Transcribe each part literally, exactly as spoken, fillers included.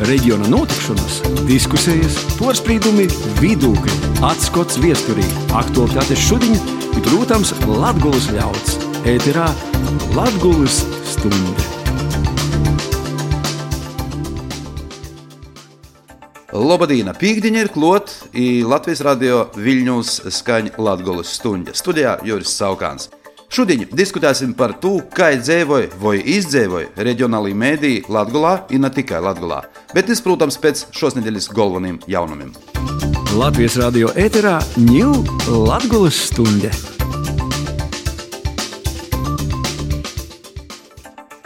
Reģiona notikšanas, diskusijas, porcelāna, vidūkļi, atskats viesturī, aktualitātes šodien, bet, protams, Latgoles ļauds. Ēterā Latgoles stunde. Lobadīna, pīkdiņa ir klot, i Latvijas radio Viļņūs skaņ Latgoles stunde. Studijā Juris Saukāns. Šodien diskutēsim par to, kā dzīvoja vai izdzēvoja reģionālī mēdī Latgolā, i ne tikai Latgolā, bet tas, protams, pēc šos nedēļas galveniem jaunumiem. Latvijas radio ēterā ņū Latgoles stunde.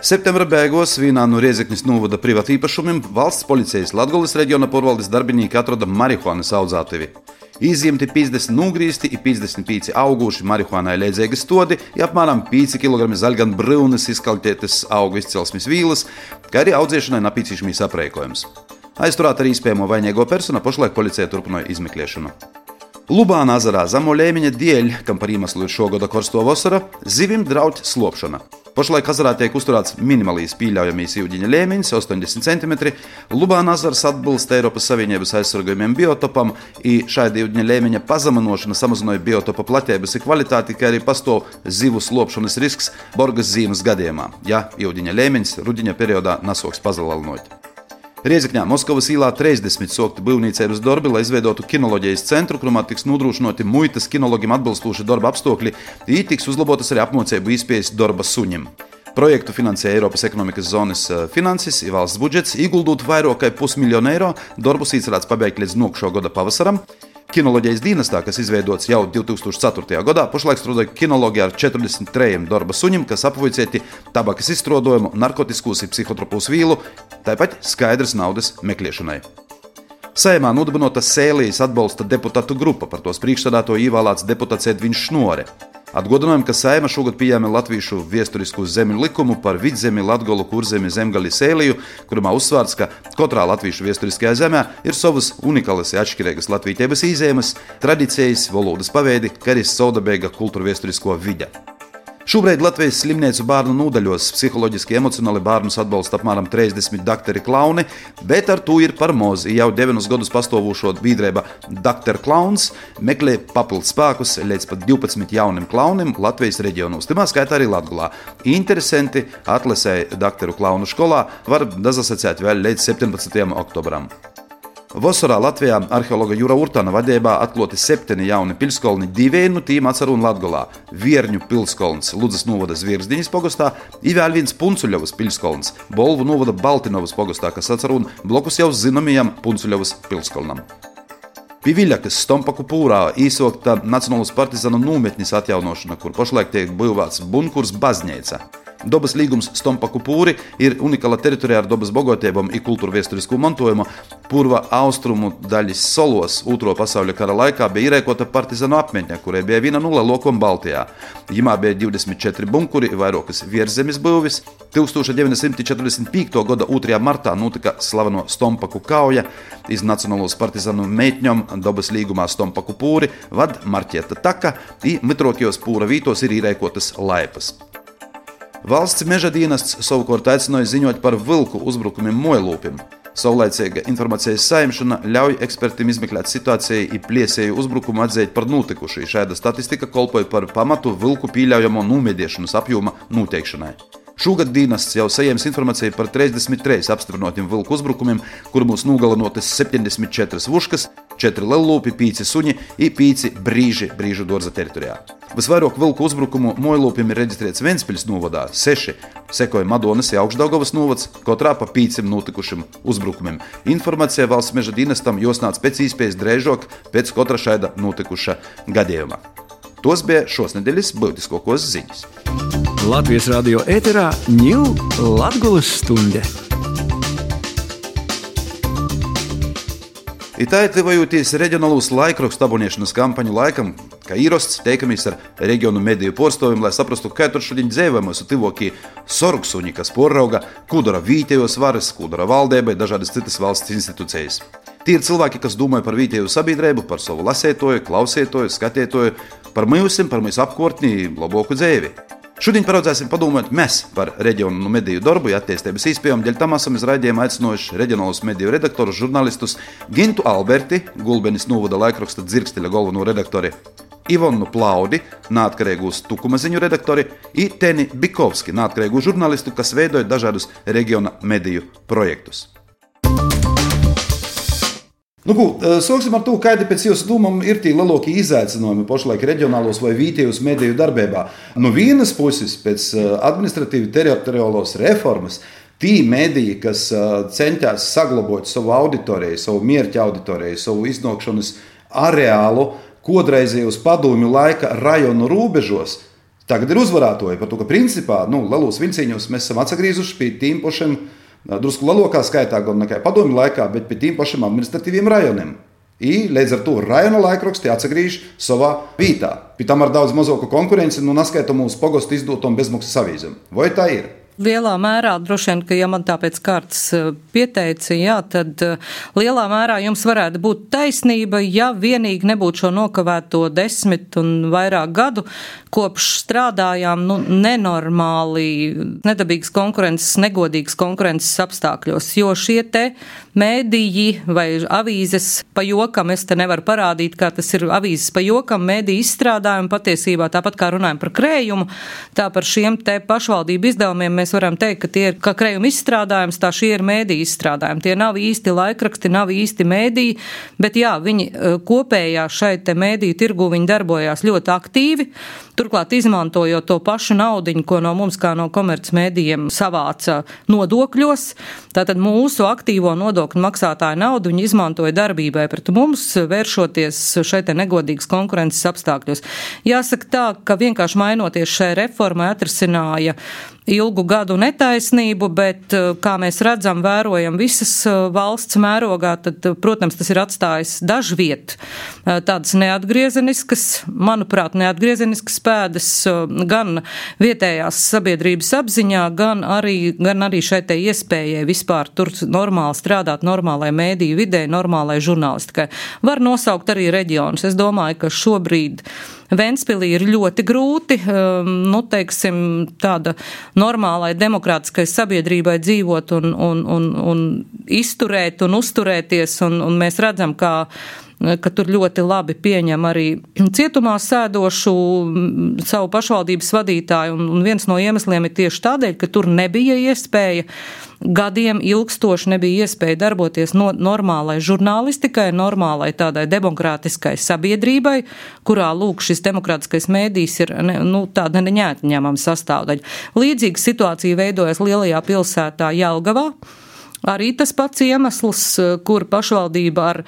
Septembra beigās vienā no Riezeknis novada privātīpašumiem valsts policijas Latgoles reģiona porvaldes darbinieki atroda marihuānas audzētavi. Izņemti piecdesmit nūgrīsti i piecdesmit pieci auguši marihuānai leidzīgi stodi i apmēram pieci kilogrami zaļgan brūnas izkaltētas augu izcelsmes vīlas, kā arī audzēšanai napīcīšamīs aprēkojums. Aizturēt arī iespējamo vainīgo personu, pašlaik policija turpināja izmeklēšanu. Lubāna ezerā zemo līmeņa dēļ, kam par iemeslu ir šogada korsto vasara, zivim draud slopšana. Pašlaik ezerā tiek uzturēts minimālīs pieļaujamīs ūdeņa līmenis astoņdesmit centimetri. Lubāna ezers atbilst Eiropas Savienības aizsargājumiem biotopam, i šāda ūdeņa līmeņa pazeminošana samazināja biotopa platības i kvalitāti, kā arī pastāv zivu slopšanas risks borgas zīmes gadījumā, ja ūdeņa līmenis rudiņa periodā nasauks pazelalinot. Riezekņā Moskavas īlā trīsdesmit sokti būvniecības darbi, lai izveidotu kinoloģijas centru, kurā tiks nodrošinoti muitas kinologiem atbilstoši darba apstākļi, i tiks uzlabotas arī apmācību iespējas darba suņiem. Projektu finansē Eiropas ekonomikas zonas finanses i valsts budžets, ieguldot vairāk kā pusmiljonu eiro, darbus iecerēts pabeigt līdz nākošā gada pavasaram. Kinoloģijas dienestā, kas izveidots jau divi tūkstoši ceturtajā gadā, pašlaik strādā kinologi ar četrdesmit trījiem darba suņiem, kas apvoicēti tabakas izstrādojumu, narkotiskos un psihotropūs vīlu, tāpat skaidras naudas meklēšanai. Saeimā nodibinota Sēlijas atbalsta deputātu grupa, par tos priekšsēdētāju ievēlēts deputāts Edviņš Šnore. Atgādinājām, ka Saeima šogad pieņēma latviešu viesturisku zemju likumu par vidzemi Latgolu, Kurzemi, Zemgali, Sēliju, kurā uzsvērts, ka katrā latviešu viesturiskajā zemē ir savas unikālas un atšķirīgas latvietības īzēmas, tradīcijas, valodas paveidi, kā arī savdabīga kultūra viesturisko vide. Šobrīd Latvijas slimnīcu bērnu nodaļos psiholoģiski emocionāli bērnus atbalsta apmēram trīsdesmit dakteri klauni, bet ar to ir par maz. Jau deviņus gadus pastāvošo biedrība Dakter Klauns meklē papildus spēkus līdz pat divpadsmit jauniem klauniem Latvijas reģionos, timā skaitā arī Latgolā. Interesanti atlasēja dakteru klaunu skolā var dazasacēt vēl līdz septiņpadsmitajam oktobram. Vasarā Latvijā arheologa Jura Urtana vadībā atklāti septiņi jauni pilskolni, divi no tiem atsarun Latgolā – Vierņu pilskolns Ludzas novada Zvierzdiņas pogastā i vēl viens Puncuļovas pilskolns Bolvu novada Baltinovas pogastā, kas atsarun blokus jau zināmajam Puncuļovas pilskolnam. Pie Viļakas Stompaku pūrā īsokta Nacionālas partizānu nometnes atjaunošana, kur pašlaik tiek būvēts bunkurs baznīca. Dobas līgums Stompaku pūri ir unikāla teritorija ar dobas bagātībām i kultūra viesturisku mantojumu. Purva austrumu daļas solos Otro pasauļa kara laikā bija ierēkota partizānu apmetņa, kurai bija viena no lielākajām Baltijā. Jimā bija divdesmit četri bunkuri, vairākas virszemes būvis. tūkstoš deviņsimt četrdesmit piektajā gada otrajā martā notika slaveno Stompaku kauja. Iz Nacionālos partizānu meitņom dobas līgumā Stompaku pūri vad marķēta taka i mitrokajos pūra vītos ir ierēkotas laipas. Valsts meža dienests savukārt aicināja ziņot par vilku uzbrukumiem mojlūpim. Saulaicīga informācijas saimšana ļauj ekspertiem izmeklēt situāciju i pliesēju uzbrukumu atzīt par notikušu. Šāda statistika kolpoja par pamatu vilku pieļaujamo nomediešanas apjoma noteikšanai. Šogad dienests jau saņēmis informāciju par trīsdesmit trīs apstiprinotiem vilku uzbrukumiem, kur mūs nogalinotas septiņdesmit četras vuškas, četri lellūpi, pieci suņi i pieci brīži brīžu dārza teritorijā. Visvairāk vilku uzbrukumu mojlūpiem ir reģistrēts Ventspils novadā – seši, sekoja Madonas un Augšdaugavas novads, katrā pa piecim notikušiem uzbrukumiem. Informācija valsts meža dienestam jāsniedz pēc iespējas drēžāk pēc katra šāda notikuša gadījuma. Tos bija šos nedēļas būtiskākos ziņas. Latvijas radio ēterā ņū Latgoles stunde. Itai tuvojoties reģionālūs laikrakstu abonēšanas kampaņu laikam, kā īrosts, teikamies ar reģionu mediju porstoviem, lai saprastu, kā tur šodien dzīvojam mūsu tivokī sorgsuņi, kas porauga, ko dara vietējos varas, ko dara valdībai, dažādas citas valsts institūcijas. Tie ir cilvēki, kas domāja par vietējo sabiedrību, par savu lasētoju, klausētoju, skatētoju, par mūsim, par mūsu apkārtni, labāku dzīvi. Šodien paraudzēsim padomāt mēs par reģionu mediju darbu, ja attīstības izpējām. Dēļ tam esam iz raidījuma aicinojuši reģionālus mediju redaktorus, žurnālistus Gintu Alberti, Gulbenes novada laikraksta Dzirksteļa galveno redaktori, Ivonu Plaudi, neatkarīgūs Tukuma ziņu redaktori, i Teni Bikovski, neatkarīgū žurnālistu, kas veidoja dažādus reģiona mediju projektus. Nu, ko, sāksim ar to, kādi pēc jūsu domām ir tie lielākie izaicinājumi pašlaik reģionālos vai vietējos mediju darbībā. No vienas puses, pēc administratīvi teritoriālos reformas, tie mediji, kas centās saglabāt savu auditoriju, savu mērķa auditoriju, savu iznākšanas areālu, kodreizējos padomju laika rajonu robežos, tagad ir uzvarētoji par to, ka principā, nu, lielos vilcīņos mēs esam atsagrīzuši pie tiem pašiem, drusku lielākā skaitā, gan nekā padomju laikā, bet pie tiem pašiem administratīviem rajoniem. I līdz ar to rajona laikraksti atsagrīž savā vietā. Pie tam ar daudz mazāku konkurenci, nu, naskaitam mūsu pogostu izdotom bezmaksas avīzēm. Vai tā ir? Lielā mērā, droši vien, ka ja man tā pēc kārtas pieteica, jā, tad lielā mērā jums varētu būt taisnība, ja vienīgi nebūtu šo nokavēto desmit un vairāk gadu, kopš strādājām nu, nenormāli, nedabīgas konkurences, negodīgas konkurences apstākļos, jo šie te mēdīji vai avīzes pa jokam, es te nevaru parādīt, kā tas ir avīzes pa jokam, mēdīji izstrādājumi patiesībā, tāpat kā runājam par krējumu, tā par šiem te pašvaldību izdevumiem mēs varam teikt, ka tie ir kā krējuma izstrādājums, tā šie ir mēdīji izstrādājumi. Tie nav īsti laikraksti, nav īsti mēdīji, bet jā, viņi kopējā šai te mēdīju tirgu viņi darbojās ļoti aktīvi, turklāt izmantojot to pašu naudiņu, ko no mums kā no komercmēdījiem savāca nodokļos. Tātad mūsu aktīvo nodokļu maksātāju naudu viņi izmantoja darbībai pret mums, vēršoties šai te negodīgas konkurences apstākļos. Jāsaka tā, ka vienkārši mainoties šai reformai atrisināja ilgu gadu netaisnību, bet, kā mēs redzam, vērojam visas valsts mērogā, tad, protams, tas ir atstājis dažviet tādas neatgriezeniskas, manuprāt, neatgriezeniskas pēdas gan vietējās sabiedrības apziņā, gan arī, gan arī šai te iespējai vispār tur normāli strādāt, normālai mēdīju vidē, normālai žurnālistikai. Var nosaukt arī reģionus. Es domāju, ka šobrīd Ventspilī ir ļoti grūti, nu, teiksim, tāda normālai demokrātiskai sabiedrībai dzīvot un, un, un, un izturēt un uzturēties, un, un mēs redzam, kā ka tur ļoti labi pieņem arī cietumā sēdošu savu pašvaldības vadītāju, un, un viens no iemesliem ir tieši tādēļ, ka tur nebija iespēja, gadiem ilgstoši nebija iespēja darboties no normālai žurnālistikai, normālai tādai demokrātiskai sabiedrībai, kurā, lūk, šis demokrātiskais mēdījis ir ne, nu, tāda neatņemama sastāvdaļa. Līdzīga situācija veidojas lielajā pilsētā Jelgavā. Arī tas pats iemesls, kur pašvaldība ar,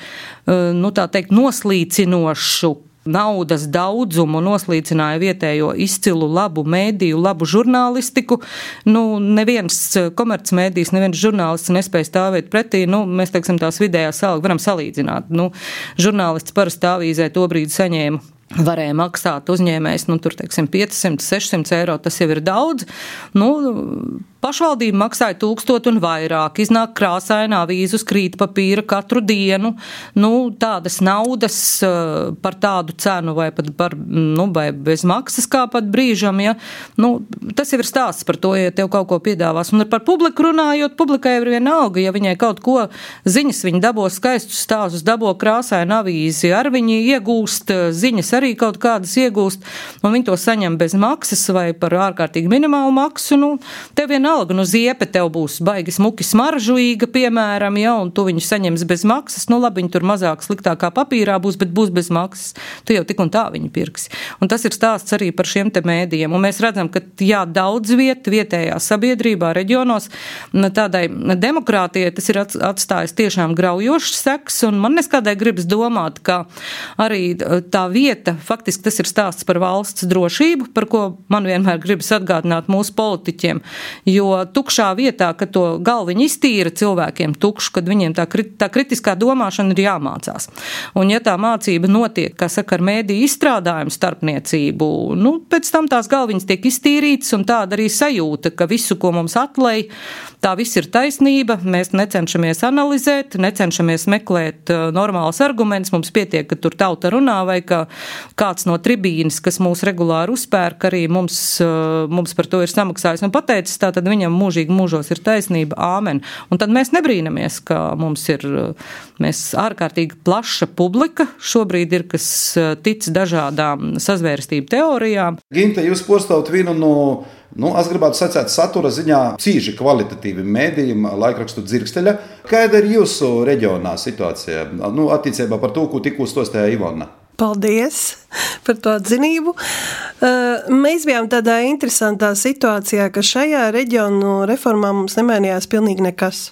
nu tā teikt, noslīcinošu naudas daudzumu noslīcināja vietējo izcilu labu mēdīju, labu žurnālistiku. Nu, neviens komercmēdījis, neviens žurnālists nespēja stāvēt pretī. Nu, mēs, teiksim, tās vidējās algas varam salīdzināt. Nu, žurnālists parasti avīzē to brīdi saņēma. Varēja maksāt uzņēmējs, nu, tur, teiksim, piecsimt, sešsimt eiro, tas jau ir daudz. Nu, pašvaldība maksāja tūkstot un vairāk, iznāk krāsainā avīzu uz krīt papīra katru dienu. Nu, tādas naudas par tādu cenu vai pat par, nu, vai bez maksas kā pat brīžam, ja. Nu, tas jau ir stāsts par to, ja tev kaut ko piedāvās. Un par publiku runājot, publikai ir vienalga, ja viņai kaut ko ziņas, viņi dabo skaistus stāstus, dabo krāsainu avīzi, ar viņi iegūst ziņas, arī kaut kādas iegūst, un viņi to saņem bez maksas vai par ārkārtīgi minimālu maksu. Nu, tev vienalga, nu ziepe tev būs baigi smuki smaržuīga, piemēram, ja, un tu viņu saņems bez maksas, nu labi, viņi tur mazāk sliktākā papīrā būs, bet būs bez maksas. Tu jau tik un tā viņu pirksi. Un tas ir stāsts arī par šiem te mēdījiem. Un mēs redzam, ka jā, daudz viet, vietējā sabiedrībā, reģionos, tādai demokrātijai tas ir atstājis tiešām graujošs seks, un man neskādai gribas domāt, ka arī tā vieta, faktiski tas ir stāsts par valsts drošību, par ko man vienmēr gribas atgādināt mūsu politiķiem, jo tukšā vietā, kad to galviņu iztīra cilvēkiem tukšu, kad viņiem tā, tā kritiskā domāšana ir jāmācās. Un ja tā mācība notiek, kā saka, ar mēdīju izstrādājumu starpniecību, nu, pēc tam tās galviņas tiek iztīrītas un tāda arī sajūta, ka visu, ko mums atlej, tā viss ir taisnība, mēs necenšamies analizēt, necenšamies meklēt uh, normāls arguments, mums pietiek, ka tur tauta runā vai ka kāds no tribīnas, kas mūs regulāri uzpērk, arī mums, uh, mums par to ir samaksājis un pateicis, tā tad viņam mūžīgi mūžos ir taisnība, āmen. Un tad mēs nebrīnamies, ka mums ir, mēs ārkārtīgi plaša publika, šobrīd ir, kas tic dažādām sazvērstību teorijām. Ginte, jūs postāvat vienu no, nu, es gribētu sacēt, satura ziņā cīži kvalitatīvi mēdījiem laikrakstu Dzirksteļa. Kāda ir jūsu reģionā situācija? Nu, attiecībā par to, ko tikko stostēja Ivona. Paldies par to atzinību. Mēs bijām tādā interesantā situācijā, ka šajā reģionu reformā mums nemainījās pilnīgi nekas.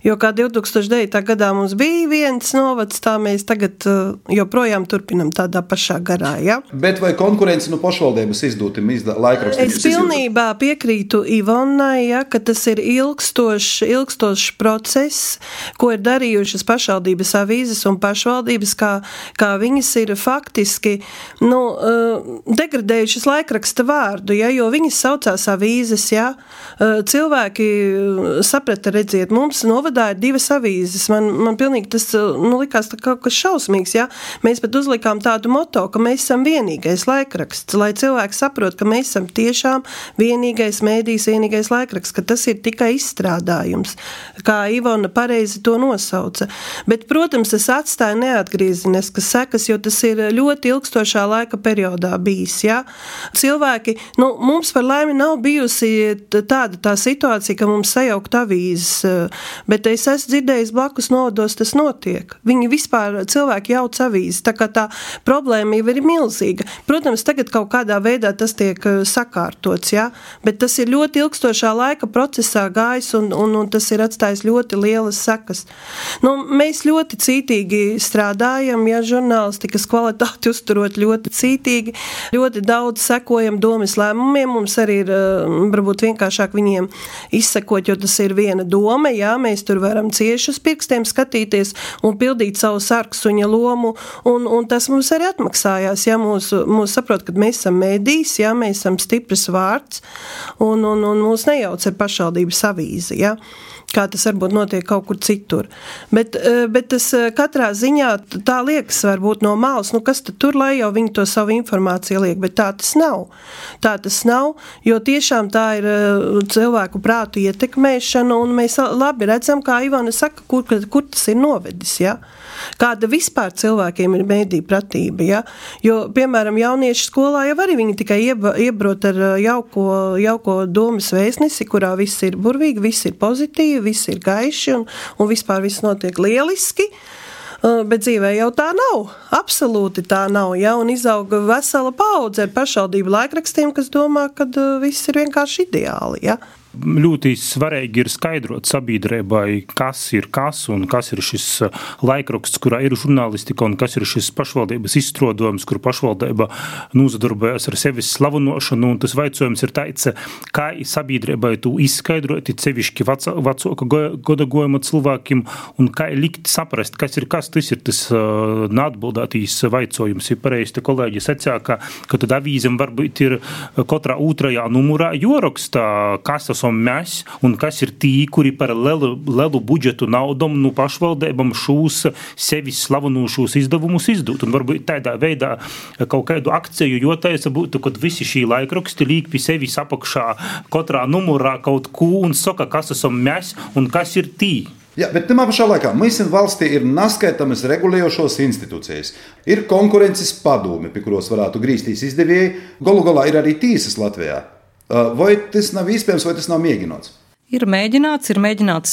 Jo kā divi tūkstoši devītā gadā mums bija viens novads, tā mēs tagad joprojām turpinam tādā pašā garā. Ja? Bet vai konkurence no pašvaldības izdūtim izda, laikrakstiem? Es pilnībā piekrītu Ivonai, ja, ka tas ir ilgstošs, ilgstošs process, ko ir darījušas pašvaldības avīzes un pašvaldības, kā, kā viņas ir faktiski nu, degradējušas laikraksta vārdu, ja, jo viņas saucās avīzes. Ja. Cilvēki saprata, redziet, mums novad ir divas avīzes. Man, man pilnīgi tas nu, likās tā kaut kas šausmīgs. Ja? Mēs pat uzlikām tādu moto, ka mēs esam vienīgais laikraksts, lai cilvēki saprot, ka mēs esam tiešām vienīgais mēdījis, vienīgais laikraksts, ka tas ir tikai izstrādājums, kā Ivona pareizi to nosauca. Bet, protams, tas atstāja neatgrieziniskas sekas, jo tas ir ļoti ilgstošā laika periodā bijis. Ja? Cilvēki, nu, mums par laimi nav bijusi tāda tā situācija, ka mums sajaukt avīzes, bet es esmu dzirdējis blakus novados, tas notiek. Viņi vispār cilvēki jauc avīzes, tā kā tā problēma jau ir milzīga. Protams, tagad kaut kādā veidā tas tiek sakārtots, ja? Bet tas ir ļoti ilgstošā laika procesā gājis un, un, un tas ir atstājis ļoti lielas sekas. Nu, mēs ļoti cītīgi strādājam, ja žurnālistikas kvalitāti uzturot ļoti cītīgi, ļoti daudz sekojam domas lēmumiem, mums arī ir varbūt vienkāršāk viņiem izsekot, jo tas ir viena doma, ja? Mēs tur varam cieši uz pirkstiem skatīties un pildīt savu sarksuņa lomu, un, un tas mums arī atmaksājās, ja mūs, mūs saprot, ka mēs esam mēdījis, ja mēs esam stiprs vārds, un, un, un mūs nejauc ar pašvaldības avīzi, ja, kā tas varbūt notiek kaut kur citur. Bet, bet tas katrā ziņā tā liekas varbūt no malas, nu kas tad tur, lai jau viņi to savu informāciju liek, bet tā tas nav. Tā tas nav, jo tiešām tā ir cilvēku prātu ietekmēšana, un mēs labi redzam, kā Ivona saka, kur, kur tas ir novedis, ja? Kāda vispār cilvēkiem ir mēdīju pratība, ja? Jo, piemēram, jaunieši skolā jau arī viņi tikai ieba, iebrot ar jauko, jauko domas vēstnesi, kurā viss ir burvīgi, viss ir pozitīvi, viss ir gaiši un, un vispār viss notiek lieliski. Bet dzīvē jau tā nav, absolūti tā nav, ja, un izauga vesela paudze ar pašvaldību laikrakstiem, kas domā, ka viss ir vienkārši ideāli, ja. Ļoti svarīgi ir skaidrot sabiedrībai, kas ir kas un kas ir šis laikraksts, kurā ir žurnālistika un kas ir šis pašvaldības izstrādājums, kur pašvaldība nozadarbojas ar sevis slavunošanu, un tas vaicojums ir tāds, kā sabiedrībai to izskaidrot, sevišķi vecāka godagojuma cilvēkiem, un kā likt saprast, kas ir kas, tas ir tas uh, neatbildētīs vaicojums. Ir pareizi, te kolēģi sacīja, ka, ka tad avīzem varbūt ir katrā otrajā numurā joraksta, kas tas mēs, un kas ir tī, kuri par lielu, lielu budžetu naudam no pašvaldībām šūs sevis slavenūšos izdevumus izdūt. Un varbūt tādā veidā kaut kādu akciju jotaisa būtu, kad visi šī laikraksti līk pie sevis apakšā katrā numurā kaut ko un saka, kas esam mēs un kas ir tī. Jā, bet tamā pašā laikā mums valstī ir naskaitamas regulējošos institūcijas. Ir konkurences padomi, pie kuros varētu grīstīs izdevēji. Galu galā ir arī tīsas Latvijā. Vai tas nav iespējams, vai tas nav mēģināts? Ir mēģināts, ir mēģināts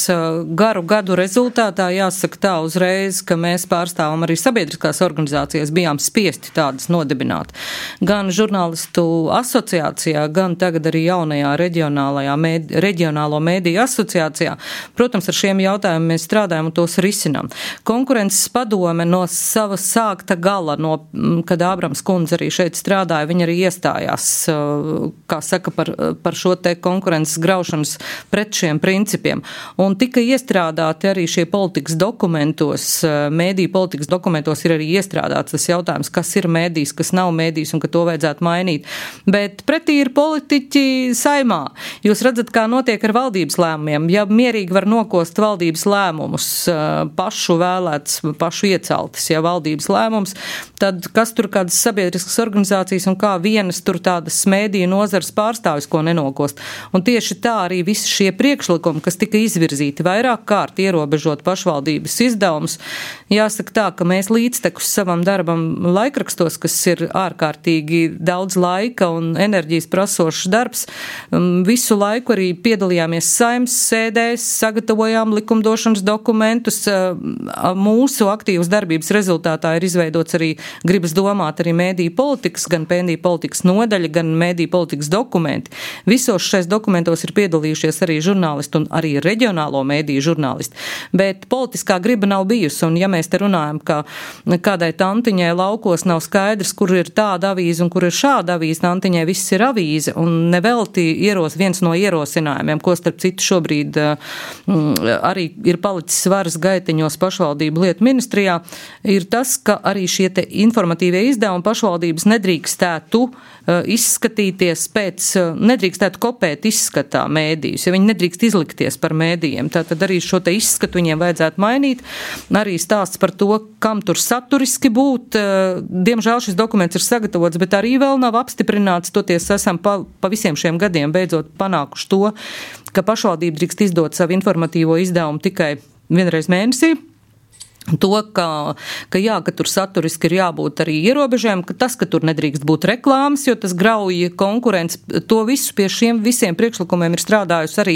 garu gadu rezultātā, jāsaka tā uzreiz, ka mēs pārstāvam arī sabiedriskās organizācijas, bijām spiesti tādas nodibināt. Gan žurnālistu asociācijā, gan tagad arī jaunajā reģionālajā mēdi, reģionālo mēdīju asociācijā. Protams, ar šiem jautājumiem mēs strādājam un tos risinām. Konkurences padome no sava sākta gala, no, kad Ābrams kundze arī šeit strādāja, viņa arī iestājās, kā saka, par, par šo te konkurences graušanas pret šiem principiem. Un tika iestrādāti arī šie politikas dokumentos, mēdīju politikas dokumentos ir arī iestrādāts tas jautājums, kas ir mēdījis, kas nav mēdījis un ka to vajadzētu mainīt. Bet pretī ir politiķi saimā. Jūs redzat, kā notiek ar valdības lēmumiem. Ja mierīgi var nokost valdības lēmumus, pašu vēlēts, pašu ieceltas, ja valdības lēmums, tad kas tur kādas sabiedriskas organizācijas un kā vienas tur tādas mēdīju nozares pārstāvis, ko nenokost. Un tieši tā arī visi šie priekšlikumi, kas tika izvirzīti vairāk kārt ierobežot pašvaldības izdevumus. Jāsaka tā, ka mēs līdztekus savam darbam laikrakstos, kas ir ārkārtīgi daudz laika un enerģijas prasošs darbs, visu laiku arī piedalījāmies saimnes sēdēs, sagatavojām likumdošanas dokumentus. Mūsu aktīvas darbības rezultātā ir izveidots arī, gribas domāt, arī mēdīju politikas, gan mēdīju politikas nodaļa, gan mēdīju politikas dokumenti. Visos šais dokumentos ir piedalījušies arī žurnālisti un arī reģionālo mēdīju žurnālisti. Bet politiskā griba nav bijusi, un ja mēs te runājam, ka kādai tantiņai laukos nav skaidrs, kur ir tāda avīze un kur ir šāda avīze, tantiņai viss ir avīze, un nevelti ieros, viens no ierosinājumiem, ko starp citu šobrīd mm, arī ir palicis varas gaiteņos pašvaldību lietu ministrijā, ir tas, ka arī šie te informatīvie izdevumi pašvaldības nedrīkstētu izskatīties pēc, nedrīkstētu kopēt izskatā mēdījus, ja viņi nedrīkst izlikties par mēdījiem. Tātad arī šo te izskatu viņiem vajadzētu mainīt. Arī stāsts par to, kam tur saturiski būt. Diemžēl šis dokuments ir sagatavots, bet arī vēl nav apstiprināts. Toties esam pa, pa visiem šiem gadiem beidzot panākuši to, ka pašvaldība drīkst izdot savu informatīvo izdevumu tikai vienreiz mēnesī. To, ka, ka jā, ka tur saturiski ir jābūt arī ierobežēm, ka tas, ka tur nedrīkst būt reklāmas, jo tas grauj konkurences, to visu pie šiem visiem priekšlikumiem ir strādājusi arī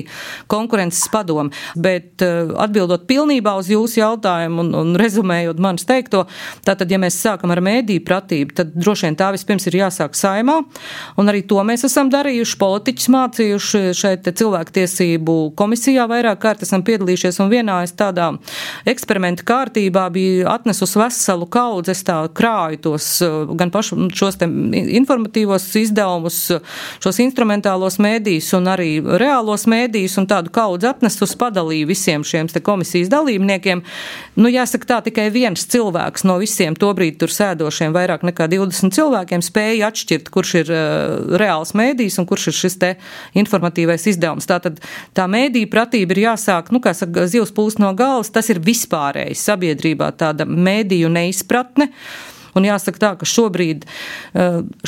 konkurences padome. Bet atbildot pilnībā uz jūsu jautājumu un, un rezumējot manis teikto, tātad, ja mēs sākam ar mēdīju pratību, tad droši vien tā vispirms ir jāsāk saimā, un arī to mēs esam darījuši, politiķus mācījuši šeit cilvēktiesību komisijā vairāk kārt esam piedalījušies, un vienā es tādā eksperimenta kārtībā bija atnesusi veselu kaudzi, es tā krāju tos gan pašu šos te informatīvos izdevumus, šos instrumentālos mēdījus un arī reālos mēdījus un tādu kaudzi atnesusi padalīju visiem šiem te komisijas dalībniekiem. Nu, jāsaka tā, tikai viens cilvēks no visiem tobrīd tur sēdošiem vairāk nekā divdesmit cilvēkiem spēja atšķirt, kurš ir uh, reāls mēdījis un kurš ir šis te informatīvais izdevums. Tātad tā mēdīja pratība ir jāsāk, nu, kā saka, zivs pūst no galvas, tas ir vispārējs sabiedrībā tāda mēdīju neizpratne. Un jāsaka tā, ka šobrīd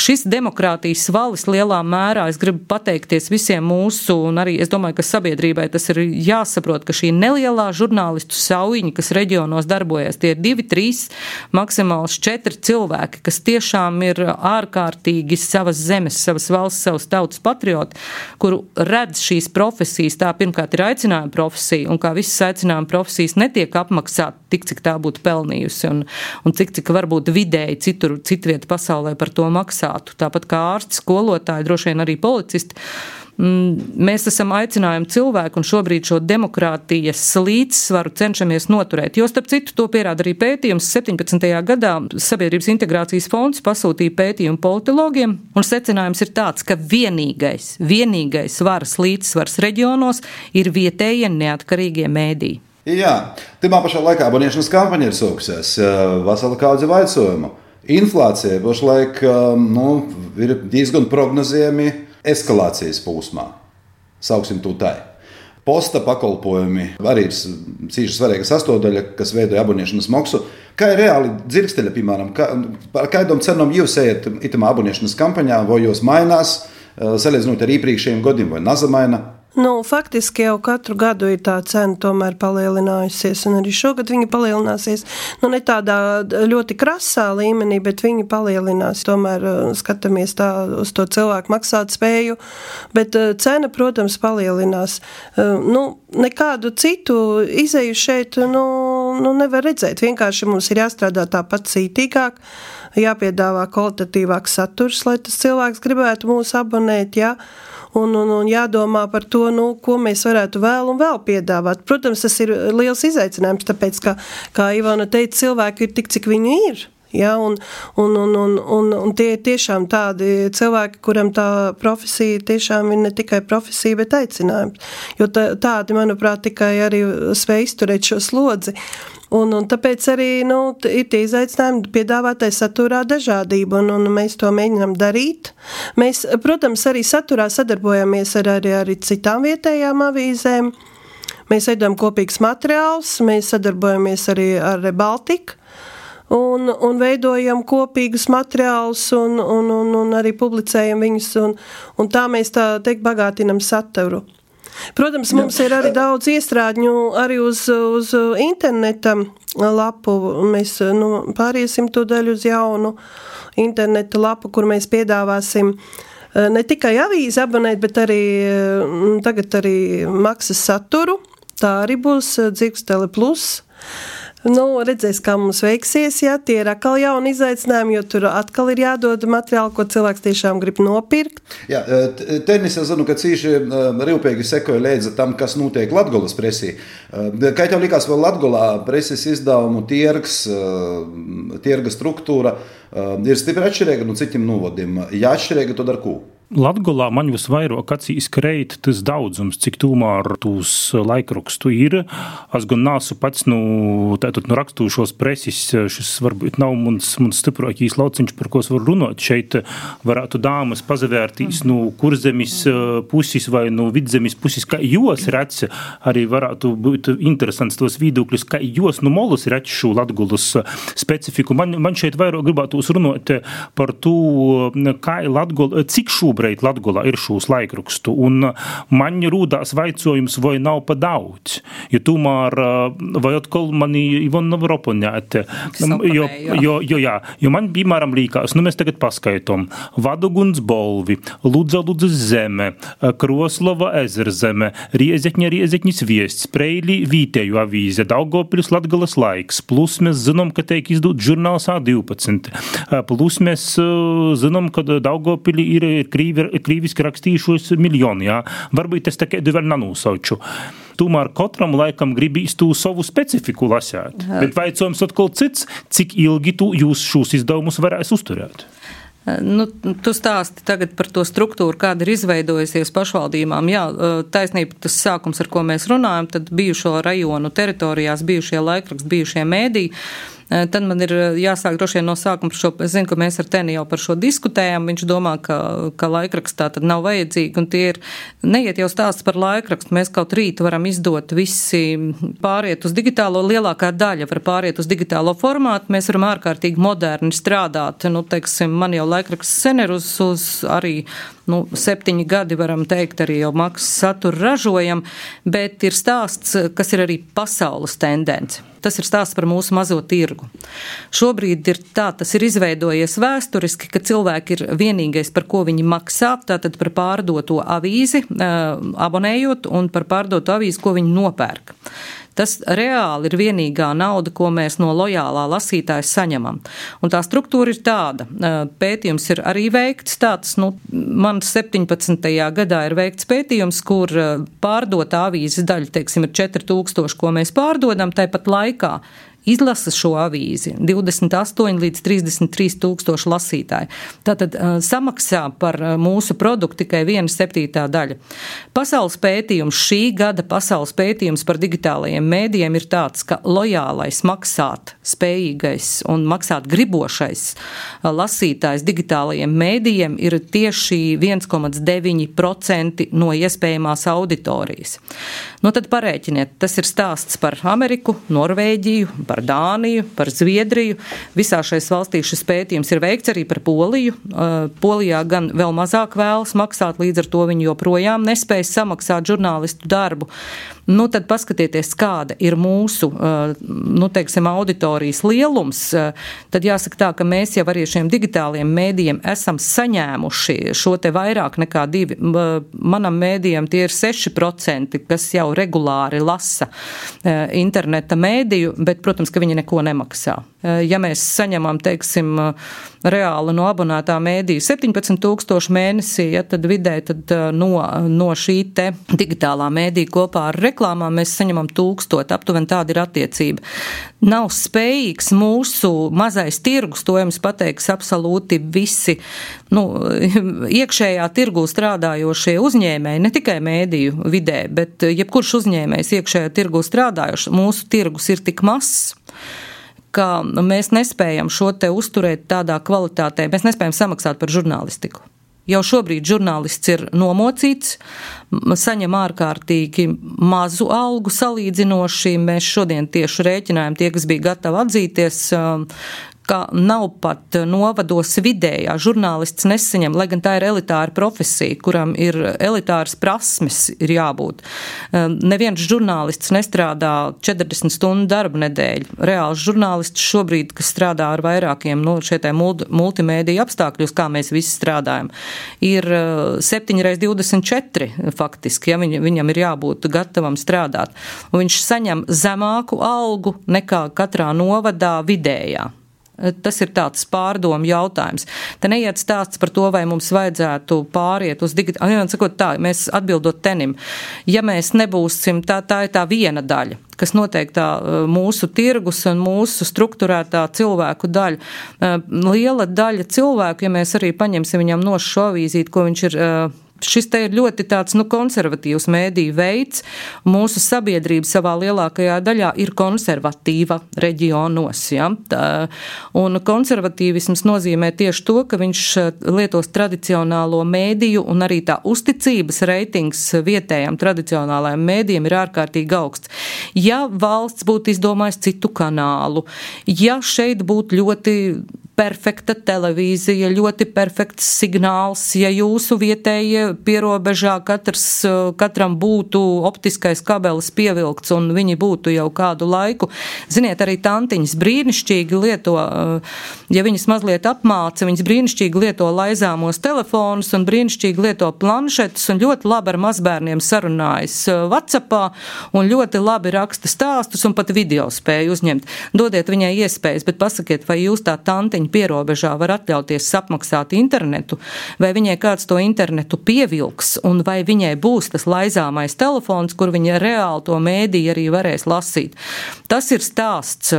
šis demokrātijas valis lielā mērā, es gribu pateikties visiem mūsu, un arī es domāju, ka sabiedrībai tas ir jāsaprot, ka šī nelielā žurnālistu saujiņa, kas reģionos darbojas, tie ir divi, trīs, maksimāls četri cilvēki, kas tiešām ir ārkārtīgi savas zemes, savas valsts, savas tautas patrioti, kuru redz šīs profesijas, tā pirmkārt ir aicinājuma profesija, un kā visas aicinājuma profesijas netiek apmaksāt tik, cik tā būtu pelnījusi, un, un cik, cik varbūt vidē citur, citu vietu pasaulē par to maksātu. Tāpat kā ārsti, skolotāji, droši vien arī policisti. Mēs esam aicinājumi cilvēku un šobrīd šo demokrātijas līdzsvaru cenšamies noturēt. Jo starp citu to pierāda arī pētījums. septiņpadsmitajā gadā Sabiedrības integrācijas fonds pasūtīja pētījumu politologiem un secinājums ir tāds, ka vienīgais, vienīgais varas līdzsvars reģionos ir vietējie neatkarīgie mēdīji. Jā, timā pašā laikā aboniešanas kampaņa ir sākusies, vesela kaudze vaicojumu. Inflācija pašlaik nu, ir diezgan prognozējami eskalācijas posmā. Sauksim to tā. Posta pakalpojumi arī ir cīši svarīga sastāvdaļa, kas veido aboniešanas maksu. Kā ir reāli dzirksteļa, piemēram, kā, par kādām cenām jūs ejat itamā aboniešanas kampaņā, vai jūs mainās, salīdzinot ar iepriekšējiem gadiem, vai nazamaina? Nu, faktiski jau katru gadu ir tā cena tomēr palielinājusies, un arī šogad viņa palielināsies. Nu, ne tādā ļoti krasā līmenī, bet viņa palielinās. Tomēr skatāmies tā uz to cilvēku maksāt spēju, bet cena, protams, palielinās. Nu, nekādu citu izeju šeit nu, nu, nevar redzēt. Vienkārši mums ir jāstrādā tāpat cītīgāk, jāpiedāvā kvalitatīvāks saturs, lai tas cilvēks gribētu mūs abonēt, jā. Un, un, un jādomā par to, nu, ko mēs varētu vēl un vēl piedāvāt. Protams, tas ir liels izaicinājums, tāpēc, ka, kā Ivana teica, cilvēki ir tik, cik viņi ir. Ja, un, un, un, un, un, un tie ir tiešām tādi cilvēki, kuram tā profesija tiešām ir ne tikai profesija, bet aicinājums. Jo tā, tādi, manuprāt, tikai arī spēj izturēt šo slodzi. Un, un tāpēc arī nu, ir tie izaicinājumi piedāvātai saturā dažādību, un, un mēs to mēģinām darīt. Mēs, protams, arī saturā sadarbojamies ar arī, arī citām vietējām avīzēm. Mēs veidojam kopīgus materiālus, mēs sadarbojamies arī ar Rebaltiku. Un, un veidojam kopīgus materiālus un, un, un, un arī publicējam viņus, un, un tā mēs tā teikt bagātinam saturu. Protams, mums ir arī daudz iestrādņu arī uz, uz interneta lapu. Mēs nu, pāriesim to daļu uz jaunu interneta lapu, kur mēs piedāvāsim ne tikai avīzi abonēt, bet arī tagad arī maksas saturu. Tā arī būs Dzirkstele plus. Nu, redzēs, kā mums veiksies, jā, tie ir atkal jauni izaicinājumi, jo tur atkal ir jādod materiāli, ko cilvēks tiešām grib nopirkt. Jā, tenis, es zinu, ka cīši rūpīgi sekoja līdzi tam, kas notiek Latgolas presī. Kā tev likās vēl Latgolā preses izdevumu tirgs, tirga struktūra ir stipri atšķirīga no citiem novadiem? Ja atšķirīga, tad ar ko? Latgolā man visvairāk acīs kreit tas daudzums, cik tūmār tūs laikrakstu ir. Es gan nāsu pats, nu, tātad, nu, rakstūšos presis, šis varbūt nav mums, mums stiprākīs lauciņš, par ko es varu runāt. Šeit varētu dāmas pazavērtīs, nu, kurzemis pusis vai, nu, vidzemis pusis, kā jos redz, arī varētu būt interesants tos viedokļus, kā jos, nu, molus redz šo Latgolas specifiku. Man, man šeit vairāk gribētos runāt par to, kā Latgola, cik šū Latgolā ir šūs laikrakstu, un man rūdās vaicojums, vai nav pa daudz. Jo tomēr, vai atkal mani Ivona nav opoņēt. Jo, jo, jo, jā, jo man, piemēram, līkās, nu mēs tagad paskaitom, Vadoguns Bolvi, Ludza Ludzas zeme, Kroslova Ezerzeme, Riezekņa Riezekņas viests, Preili Vītēju avīze, Daugavpils Latgolas laiks, plus mēs zinām, ka teik izdūt žurnāls A divpadsmit, plus mēs zinām, ka Daugavpili ir krīviski rakstījušos miljoni, jā. Varbūt es tā kādu vēl nanūsauču. Tomēr katram laikam gribīs tu savu specifiku lasēt. Jā. Bet vaicojums atkal cits, cik ilgi tu jūs šos izdevumus varēs uzturēt? Nu, tu stāsti tagad par to struktūru, kāda ir izveidojusies pašvaldībām. Jā, taisnība, tas sākums, ar ko mēs runājam, tad bijušo rajonu teritorijās, bijušie laikraksti, bijušie mēdī. Tad man ir jāsāk droši vien no sākuma par šo, es zinu, ka mēs ar Teni jau par šo diskutējām, viņš domā, ka, ka laikrakstā tad nav vajadzīgi, un tie ir, neiet jau stāsts par laikrakstu, mēs kaut rīt varam izdot visi pāriet uz digitālo, lielākā daļa var pāriet uz digitālo formātu, mēs varam ārkārtīgi moderni strādāt, nu, teiksim, man jau laikraksts sen ir uz, uz arī, nu, septiņi gadi varam teikt, arī jau maksas saturu ražojam, bet ir stāsts, kas ir arī pasaules tendence. Tas ir stāsts par mūsu mazo tirgu. Šobrīd ir tā, tas ir izveidojies vēsturiski, ka cilvēki ir vienīgais, par ko viņi maksā, tātad par pārdoto avīzi, abonējot, un par pārdoto avīzi, ko viņi nopērk. Tas reāli ir vienīgā nauda, ko mēs no lojālā lasītāja saņemam. Un tā struktūra ir tāda. Pētījums ir arī veikts tāds, nu, man septiņpadsmitajā gadā ir veikts pētījums, kur pārdotā avīzes daļa, teiksim, ir četri tūkstoši, ko mēs pārdodam, tāpat laikā izlasa šo avīzi divdesmit astoņi līdz trīsdesmit trīs tūkstoši lasītāji. Tātad samaksā par mūsu produktu tikai viena septītā daļa. Pasaules pētījums, šī gada pasaules pētījums par digitālajiem mēdījiem ir tāds, ka lojālais, maksāt spējīgais un maksāt gribošais lasītājs digitālajiem mēdījiem ir tieši viens komats deviņi procenti no iespējamās auditorijas. Nu tad parēķiniet, tas ir stāsts par Ameriku, Norvēģiju, par par Dāniju, par Zviedriju. Visā šais valstīs šis pētījums ir veikts arī par Poliju. Polijā gan vēl mazāk vēlas maksāt, līdz ar to viņi joprojām nespēj samaksāt žurnālistu darbu. Nu, tad paskatieties, kāda ir mūsu, nu, teiksim, auditorijas lielums. Tad jāsaka tā, ka mēs jau arī šiem digitāliem mēdījiem esam saņēmuši šo te vairāk nekā divi. Manam mēdījam tie ir seši procenti, kas jau regulāri lasa interneta mēdīju, bet, protams, ka viņi neko nemaksā. Ja mēs saņemam, teiksim, reāli no abonētā mēdīja septiņpadsmit tūkstoši mēnesī, ja, tad vidē tad no, no šī te digitālā mēdīja kopā ar reklāmām mēs saņemam tūkstot, aptuveni tāda ir attiecība. Nav spējīgs mūsu mazais tirgus, to jums pateiks absolūti visi, nu, iekšējā tirgū strādājošie uzņēmēji, ne tikai mēdīju vidē, bet jebkurš uzņēmējs iekšējā tirgū strādājošs, mūsu tirgus ir tik mazs, ka mēs nespējam šo te uzturēt tādā kvalitātē, mēs nespējam samaksāt par žurnālistiku. Jau šobrīd žurnālists ir nomocīts, saņem ārkārtīgi mazu algu salīdzinoši. Mēs šodien tieši rēķinājām tie, kas bija gatavi atzīties, ka nav pat novados vidējā. Žurnālists nesaņem, lai gan tā ir elitāra profesija, kuram ir elitāras prasmes ir jābūt. Neviens žurnālists nestrādā četrdesmit stundu darba nedēļu. Reāls žurnālists šobrīd, kas strādā ar vairākiem, nu, šie multimēdija apstākļos, kā mēs visi strādājam, ir septiņi reiz divdesmit četri faktiski, ja viņ, viņam ir jābūt gatavam strādāt. Un viņš saņem zemāku algu nekā katrā novadā vidējā. Tas ir tāds pārdomu jautājums. Te neiet stāsts par to, vai mums vajadzētu pāriet uz digitālu. Ja, sakot tā, mēs atbildot tenim, ja mēs nebūsim, tā, tā ir tā viena daļa, kas noteikti tā mūsu tirgus un mūsu strukturētā cilvēku daļa. Liela daļa cilvēku, ja mēs arī paņemsim viņam no šo avīzīti, ko viņš ir... Šis te ir ļoti tāds, nu, konservatīvs mēdīju veids. Mūsu sabiedrība savā lielākajā daļā ir konservatīva reģionos, ja. Tā, un konservatīvisms nozīmē tieši to, ka viņš lietos tradicionālo mēdīju un arī tā uzticības reitings vietējām tradicionālajām mēdījiem ir ārkārtīgi augsts. Ja valsts būtu izdomājis citu kanālu, ja šeit būtu ļoti perfekta televīzija, ļoti perfekts signāls, ja jūsu vietējie pierobežā katrs, katram būtu optiskais kabelis pievilkts un viņi būtu jau kādu laiku. Ziniet, arī tantiņas brīnišķīgi lieto, ja viņas mazliet apmāca, viņas brīnišķīgi lieto laizāmos telefonus un brīnišķīgi lieto planšetus un ļoti labi ar mazbērniem sarunājas WhatsAppā un ļoti labi raksta stāstus un pat video spēju uzņemt. Dodiet viņai iespējas, bet pasakiet, vai jūs tā tantiņa pierobežā var atļauties apmaksāt internetu, vai viņai kāds to internetu pievilks, un vai viņai būs tas laizāmais telefons, kur viņa reāli to mēdīju arī varēs lasīt. Tas ir stāsts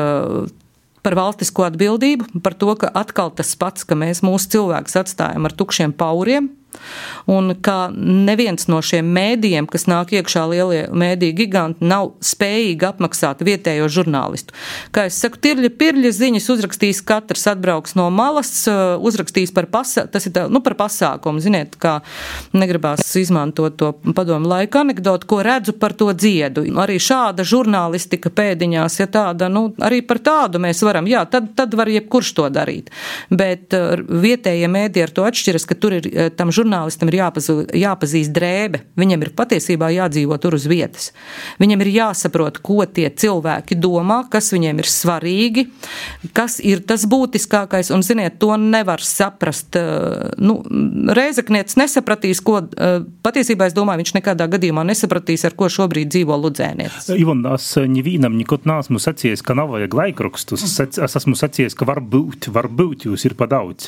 par valstisko atbildību, par to, ka atkal tas pats, ka mēs mūsu cilvēkus atstājam ar tukšiem pauriem, un ka neviens no šiem mēdījiem, kas nāk iekšā lielie mēdīju giganti, nav spējīgi apmaksāt vietējo žurnālistu. Kā es saku, tirļa pirļa ziņas uzrakstīs katrs, atbrauks no malas, uzrakstīs par, pasā, tas ir tā, nu, par pasākumu. Ziniet, kā negribās izmantot to padomu laika anekdotu, ko redzu par to dziedu. Arī šāda žurnālistika pēdiņās, ja tāda, nu, arī par tādu mēs varam, jā, tad, tad var jebkurš to darīt. Bet vietējie mēdī ar to atšķiras, ka tur ir tam žurnālistam ir jāpazū, jāpazīst drēbe. Viņam ir patiesībā jādzīvo tur uz vietas. Viņam ir jāsaprot, ko tie cilvēki domā, kas viņiem ir svarīgi, kas ir tas būtiskākais, un, ziniet, to nevar saprast. Nu, Rēzeknietis nesapratīs, ko, patiesībā es domāju, viņš nekādā gadījumā nesapratīs, ar ko šobrīd dzīvo ludzēnietis. Ivona, es nevīnam nikot neesmu sacījis, ka nav vajag laikrakstus. Es esmu sacījis, ka var būt, var būt jūs ir pa daudz.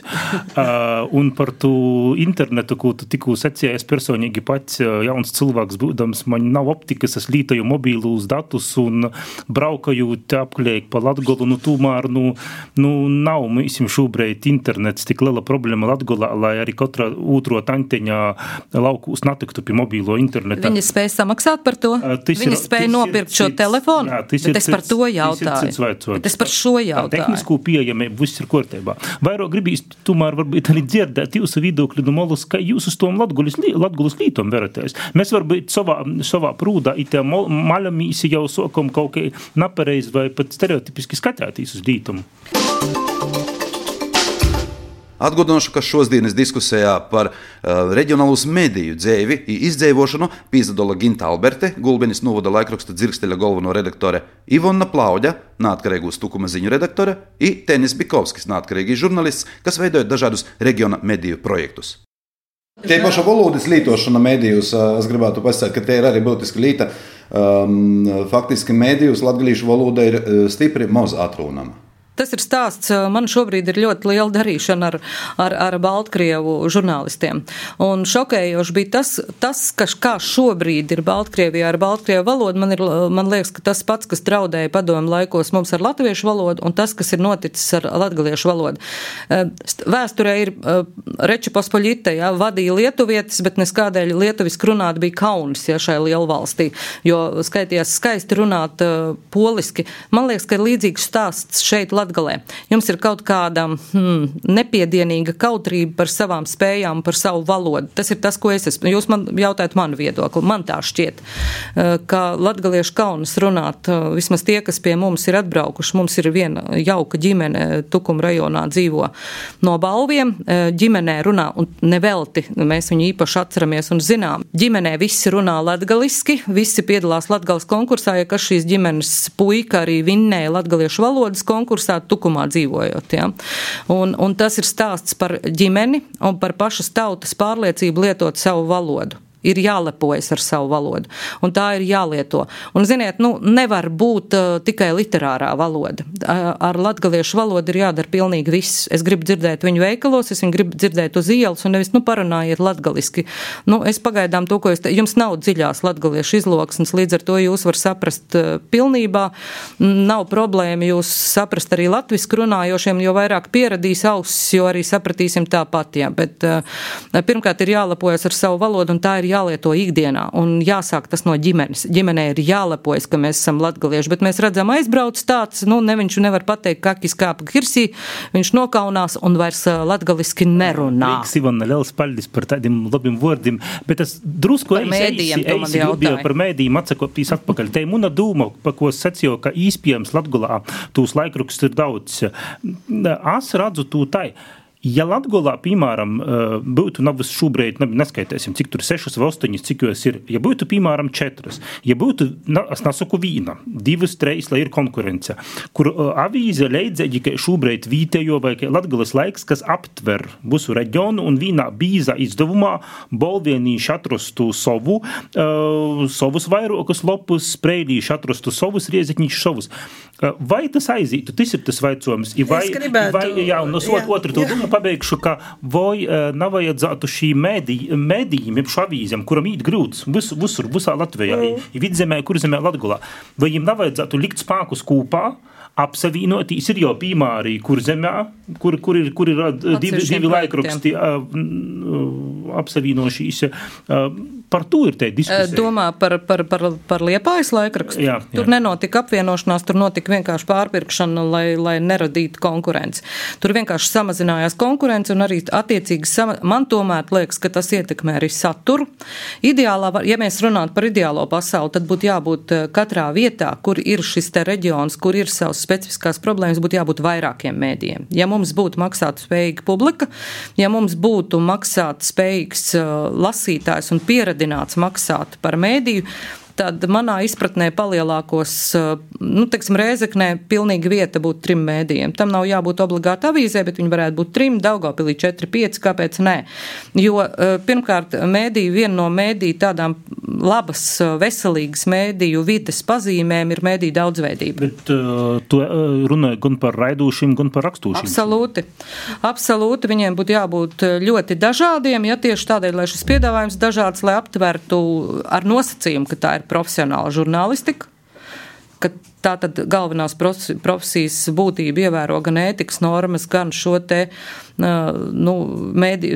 Uh, un par tu internetu, ko tu tikko sacīji, es personīgi pats jauns cilvēks būdams, man nav optikas, es lītoju mobīlus datus un braukajot apklējot pa Latgolu, nu tūmēr, nu, nu nav mēs šobrīd internets tik liela problēma Latgolā, lai arī katra otro tanteņā laukūs natiktu pie mobīlo interneta. Viņi spēja samaksāt par to? Viņi spēja nopirkt šo telefonu? Jā, bet es par to jautāju. Bet es par šo jautāju. Tehnisko pieejamību viss ir kārtībā. Vairāk gribīs, tomēr varbūt arī dzirdēt jūsu viedokli no Molas kā jūs uz tom Latgulis, Latgulis lītom veraties. Mēs varbūt savā, savā prūdā itā maļamīsi jau sokam kaut kā napareiz vai pat stereotipiski skatētīs uz lītumu. Atgādināšu, ka šodienas diskusijā par uh, reģionālus mediju dzēvi i izdzēvošanu pīzadola Ginta Alberte, Gulbenis novada laikraksta Dzirksteļa galveno redaktore, Ivona Plauģa, neatkarīgu Tukuma ziņu redaktore, i Tenis Bikovskis, neatkarīgi žurnalists, kas veidoja dažādus reģiona mediju projektus. Tie paša valodas lietošana medijus, es gribētu pasakt, ka tie ir arī būtiski līta. Um, faktiski medijus latgalīšu valoda ir stipri maz atrūnama. Tas ir stāsts, man šobrīd ir ļoti liela darīšana ar, ar, ar Baltkrievu žurnālistiem. Un šokējoši bija tas, tas ka kā šobrīd ir Baltkrievijā ar Baltkrievu valodu, man, ir, man liekas, ka tas pats, kas traudēja padomu laikos mums ar latviešu valodu, un tas, kas ir noticis ar latgaliešu valodu. Vēsturē ir Reča Pospoļita, ja, vadīja lietuvietis, bet neskādēļ lietuviski runāt bija kaunis, ja, šai lielvalstī, jo skaitījās skaisti runāt uh, poliski. Man liekas, ka ir līdzīgs stāsts šeit Latgalē. Jums ir kaut kāda hmm, nepiedienīga kautrība par savām spējām, par savu valodu. Tas ir tas, ko es esmu. Jūs man jautājat manu viedokli. Man tā šķiet, ka latgaliešu kaunas runāt, vismaz tie, kas pie mums ir atbraukuši, mums ir viena jauka ģimene Tukuma rajonā dzīvo no Balviem. Ģimenē runā, un nevelti, mēs viņu īpaši atceramies un zinām. Ģimenē visi runā latgaliski, visi piedalās Latgales konkursā, ja kas šīs ģimenes puika arī vinnēja latgaliešu valodas konkursā, Tukumā dzīvojot. Ja? Un, un tas ir stāsts par ģimeni un par pašas tautas pārliecību lietot savu valodu. Ir jālepojas ar savu valodu, un tā ir jālieto. Un, ziniet, nu, nevar būt uh, tikai literārā valoda. Uh, ar latgaliešu valodu ir jādara pilnīgi viss. Es gribu dzirdēt viņu veikalos, es viņu gribu dzirdēt uz ielas, un nevis, nu, parunājiet latgaliski. Nu, es pagaidām to, ko es te, jums nav dziļās latgaliešu izloksnes, līdz ar to jūs var saprast uh, pilnībā. Nav problēma jūs saprast arī latviski runājošiem, jo vairāk pieradīs ausis, jo arī sapratīsim tāpat, jā. Bet uh, pirmkārt ir jālepojas ar savu valodu, un tā ir jālieto ikdienā, un jāsāk tas no ģimenes. Ģimenē ir jālepojas, ka mēs esam latgalieši, bet mēs redzam aizbrauc tāds, nu, ne viņš nevar pateikt, kakis kāpa kirsī, viņš nokaunās un vairs latgaliski nerunā. Reiks, Ivana, liels paldies par tādiem labiem vārdiem, bet es drusku par mēdījiem to man jautāja. Par mēdījiem atsakoptīs atpakaļ. Te muna dūma, pa ko sacīju, ka īspējams Latgolā tūs laikraksts ir daudz. Es redzu tū tai. Ja Latgolā, piemēram, būtu nav šobrīd, neskaitēsim, cik tur sešas vai astoņas, cik jūs ir, ja būtu, piemēram, četras, ja būtu, es nesaku vīna, divas, treis, lai ir konkurence, kur avīze leidzēģi, ka šobrīd vītējo vai Latgolas laiks, kas aptver visu reģionu un vīnā bīza izdevumā bolvienīši atrastu savu, uh, savus vairokus lopus, spreilīši atrastu savus riezekņīši savus. Uh, vai tas aizītu? Tas ir tas vaicojums. Vai, es gribētu. Vai, jā, un jā, otru to domu pabeigšu, ka vai uh, navajadzētu šī medijiem, šo avīzēm, kuram īt grūts visu, visur, visā Latvijā, mm. i vidzemē, kurzemē Latgolā, vai jiem navajadzētu likt spākus kūpā, apsavienotīs ir jau piemēri kurzemē, kur, kur ir, kur ir divi, divi laikraksti uh, apsavienošīs. Uh, par to ir te diskusija. Domā par, par, par, par Liepājas laikrakstu? Jā, jā. Tur nenotika apvienošanās, tur notika vienkārši pārpirkšana, lai, lai neradītu konkurenci. Tur vienkārši samazinājās konkurence un arī attiecīgi sama... man tomēr liekas, ka tas ietekmē arī saturu. Ideālā, ja mēs runātu par ideālo pasauli, tad būtu jābūt katrā vietā, kur ir šis te reģions, kur ir savs specifiskās problēmas, būtu jābūt vairākiem mēdījiem. Ja mums būtu maksāt spējīga publika, ja mums būtu maksāt spējīgs uh, lasītājs un pieradināts maksāt par mēdīju, tad manā izpratnē palielākos, nu, teiksim, Rēzeknē pilnīgi vieta būtu trim mēdījiem. Tam nav jābūt obligāti avīzē, bet viņi varētu būt trim, Daugavpilī četri, pieci, kāpēc nē? Jo, pirmkārt, mēdīju, viena no mēdīju tādām labas, veselīgas mēdīju vides pazīmēm ir mēdīju daudzveidība. Bet uh, tu runāji gan par raidūšiem, gan par rakstūšiem. Absolūti. Absolūti, viņiem būtu jābūt ļoti dažādiem, ja tieši tādēļ, lai šis piedāvājums dažāds, lai aptvertu ar nosacījumu, ka tā ir profesionāla žurnālistika, ka tā tad galvenās profesijas būtība ievēro gan ētikas normas, gan šo te nu, mēdi,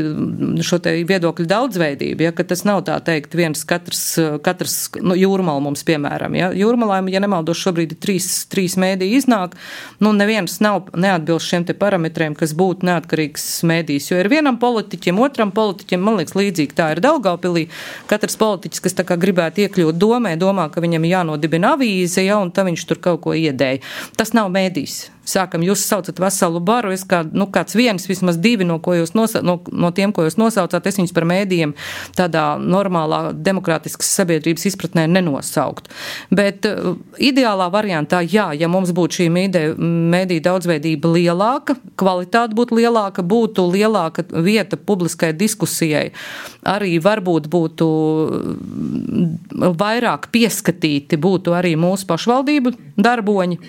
šo te viedokļu daudzveidību, ja, ka tas nav tā teikt viens katrs, katrs nu, Jūrmala mums, piemēram. Ja. Jūrmalā, ja nemaldos, šobrīd ir trīs, trīs mēdī iznāk, nu, neviens nav neatbilst šiem te parametriem, kas būtu neatkarīgs mēdījis, jo ir vienam politiķim, otram politiķim, man liekas, līdzīgi tā ir Daugavpilī. Katrs politiķis, kas tā kā gribētu iekļūt domē, domā, ka viņam jānodibina avīze, ja, un tā viņš tur kaut ko iedēja. Tas nav mēdījis. Sākam, jūs saucat veselu baru, es kā, nu, kāds viens, vismaz divi, no, ko jūs nosa, no, no tiem, ko jūs nosaucāt, es viņus par mēdījiem tādā normālā demokrātiskas sabiedrības izpratnē nenosaukt. Bet uh, ideālā variantā, jā, ja mums būtu šī mēdīja daudzveidība lielāka, kvalitāte būtu lielāka, būtu lielāka vieta publiskai diskusijai, arī varbūt būtu vairāk pieskatīti, būtu arī mūsu pašvaldību darboņi.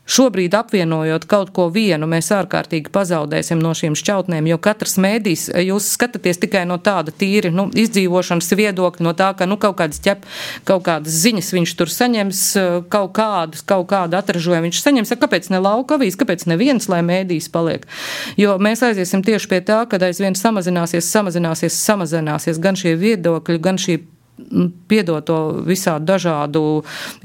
Šobrīd apvienojot kaut ko vienu, mēs ārkārtīgi pazaudēsim no šīm šķautnēm, jo katrs mēdījis, jūs skatāties tikai no tāda tīri, nu, izdzīvošanas viedokļa, no tā, ka, nu, kaut kādas ķep, kaut kādas ziņas viņš tur saņems, kaut kādas, kaut kādu atražojumu viņš saņems, kāpēc ne lauka avīs, kāpēc neviens, lai mēdījis paliek. Jo mēs aiziesim tieši pie tā, kad aizvien samazināsies, samazināsies, samazināsies gan šie viedokļi, gan šī piedoto visādu dažādu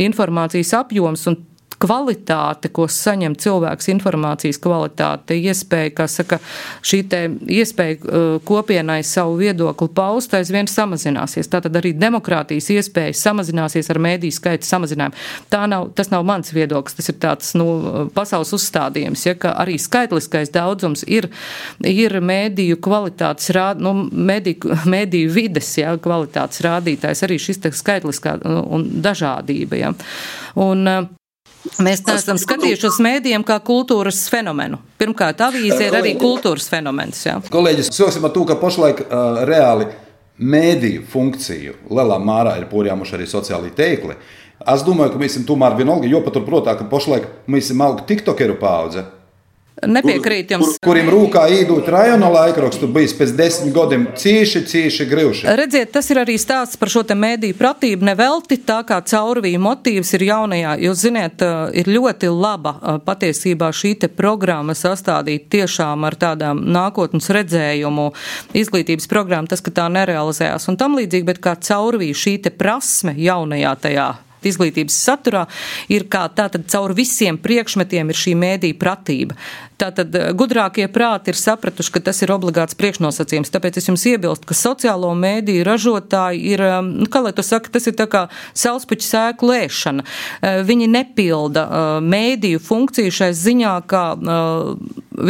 informācijas apjoms un kvalitāte, ko saņem cilvēks, informācijas kvalitāte, iespēja, kā saka, šī te iespēja uh, kopienai savu viedokli paust, aizvien samazināsies. Tātad arī demokrātijas iespēja samazināsies ar mēdīju skaita samazinājumu. Tā nav, tas nav mans viedoklis, tas ir tāds, nu, pasaules uzstādījums, ja, ka arī skaitliskais daudzums ir, ir mēdīju kvalitātes rād, nu, mēdīju, mēdīju vides, ja, kvalitātes rādītājs, arī šis te skaitliskā un dažādība, ja. Un, mēs neesam skatījuši uz mēdījiem kā kultūras fenomenu. Pirmkārt, avīze ir arī kultūras fenomens. Jā. Kolēģis, sāksim ar to, ka pašlaik uh, reāli mēdīju funkciju lielā mērā ir porjāmuši arī sociālī teikli. Es domāju, ka mēs esam tomēr vienalga, jo paturprotā, ka pašlaik mēs esam auga tiktokeru paudze. Nepiekrīt jums. Kur, kuriem rūkā īdūt rajona laikrakstu bijis pēc desmit gadiem cīši, cīši grivši. Redziet, tas ir arī stāsts par šo te mēdīju pratību nevelti, tā kā caurvīja motīvs ir jaunajā. Jūs ziniet, ir ļoti laba patiesībā šī te programma sastādīt tiešām ar tādām nākotnes redzējumu izglītības programmu, tas, ka tā nerealizējās un tam līdzīgi, bet kā caurvīja šī te prasme jaunajā tajā izglītības saturā ir kā tātad caur visiem priekšmetiem ir šī mēdīja pratība. Tātad gudrākie prāti ir sapratuši, ka tas ir obligāts priekšnosacījums. Tāpēc es jums iebilstu, ka sociālo mēdīju ražotāji ir, nu, kā lai to saka, tas ir tā kā saulspuķu sēklu ēšana. Viņi nepilda mēdīju funkciju šai ziņā, kā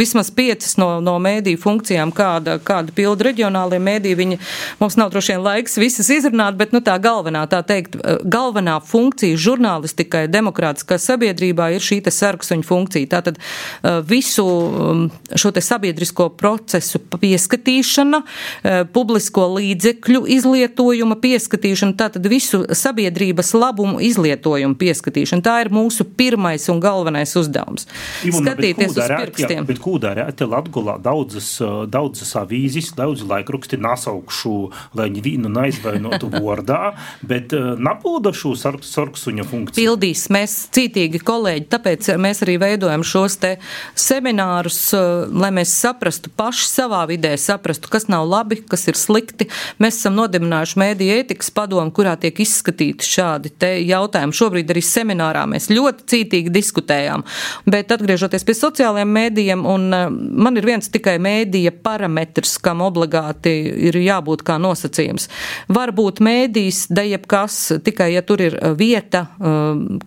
vismaz piecas no, no mēdīju funkcijām, kāda, kāda pilda reģionālie mēdīji. Viņi, mums nav droši vien laiks visas izrunāt, bet, nu, tā galvenā, tā teikt, galvenā funkcija žurnālistikai demokrātiskā sabiedrībā ir šī te sarksuņu funkcija. Tātad visu šo te sabiedrisko procesu pieskatīšana, publisko līdzekļu izlietojuma pieskatīšana, tātad visu sabiedrības labumu izlietojumu pieskatīšana. Tā ir mūsu pirmais un galvenais uzdevums. Ivona, skatīties uz pirkstiem. Bet kūdā rēti Latgolā daudzas, daudzas avīzes, daudzi laikraksti nasaukšu, lai viņi vīnu naizvainotu vordā, bet napūda šo sarksuņa funkciju. Pildīs mēs cītīgi kolēģi, tāpēc mēs arī veidojam šos te seminārus, lai mēs saprastu paši savā vidē, saprastu, kas nav labi, kas ir slikti. Mēs esam nodibinājuši mēdīju ētikas padomu, kurā tiek izskatīti šādi te jautājumi. Šobrīd arī seminārā mēs ļoti cītīgi diskutējām. Bet atgriežoties pie sociālajiem mēdījiem, un man ir viens tikai mēdīja parametrs, kam obligāti ir jābūt kā nosacījums. Varbūt mēdījis, da jebkas, tikai ja tur ir vieta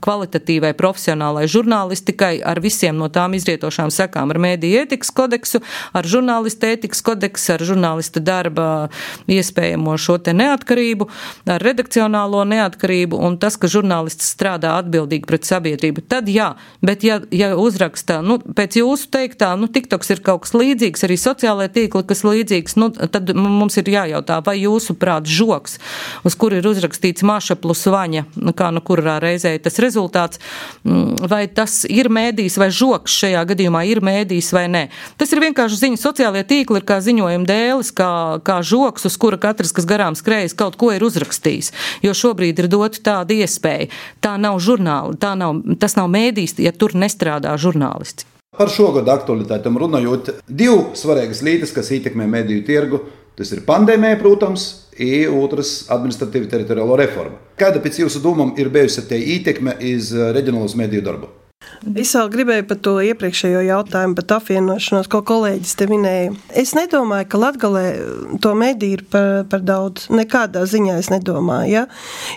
kvalitatīvai, profesionālai žurnālistikai ar visiem no tām izrietošām sekām, ar mēdīju ētikas kodeksu, ar žurnālista ētikas kodeksu, ar žurnālista darba iespējamo šo te neatkarību, ar redakcionālo neatkarību un tas, ka žurnālists strādā atbildīgi pret sabiedrību. Tad jā, bet ja, ja uzrakstā, nu, pēc jūsu teiktā, nu, TikToks ir kaut kas līdzīgs, arī sociālajie tīkli, kas līdzīgs, nu, tad mums ir jājautā, vai jūsu prāt žoks, uz kur ir uzrakstīts Maša plus Vaņa, kā nu kurā reizē tas rezultāts, vai tas ir mēdījis vai žoks šajā gadījumā ir mēdījis vai nē. Tas ir vienkārši ziņa. Sociālie tīkli ir kā ziņojuma dēlis, kā, kā žoks, uz kura katrs, kas garām skrējas, kaut ko ir uzrakstījis. Jo šobrīd ir dota tāda iespēja. Tā nav žurnāli, tā nav, tas nav mēdījis, ja tur nestrādā žurnālisti. Par šogad aktualitātēm runājot, divu svarīgas lietas, kas ietekmē mediju tirgu, tas ir pandēmija, protams, un otrs administratīva teritoriālo reforma. Kāda pēc jūsu domām ir bijusi tie ietekme iz reģionālos mediju darbu? Es vēl gribēju par to iepriekšējo jautājumu, par apvienošanos, ko kolēģis te minēja. Es nedomāju, ka Latgalē to mediju ir par, par daudz. Nekādā ziņā es nedomāju. Ja?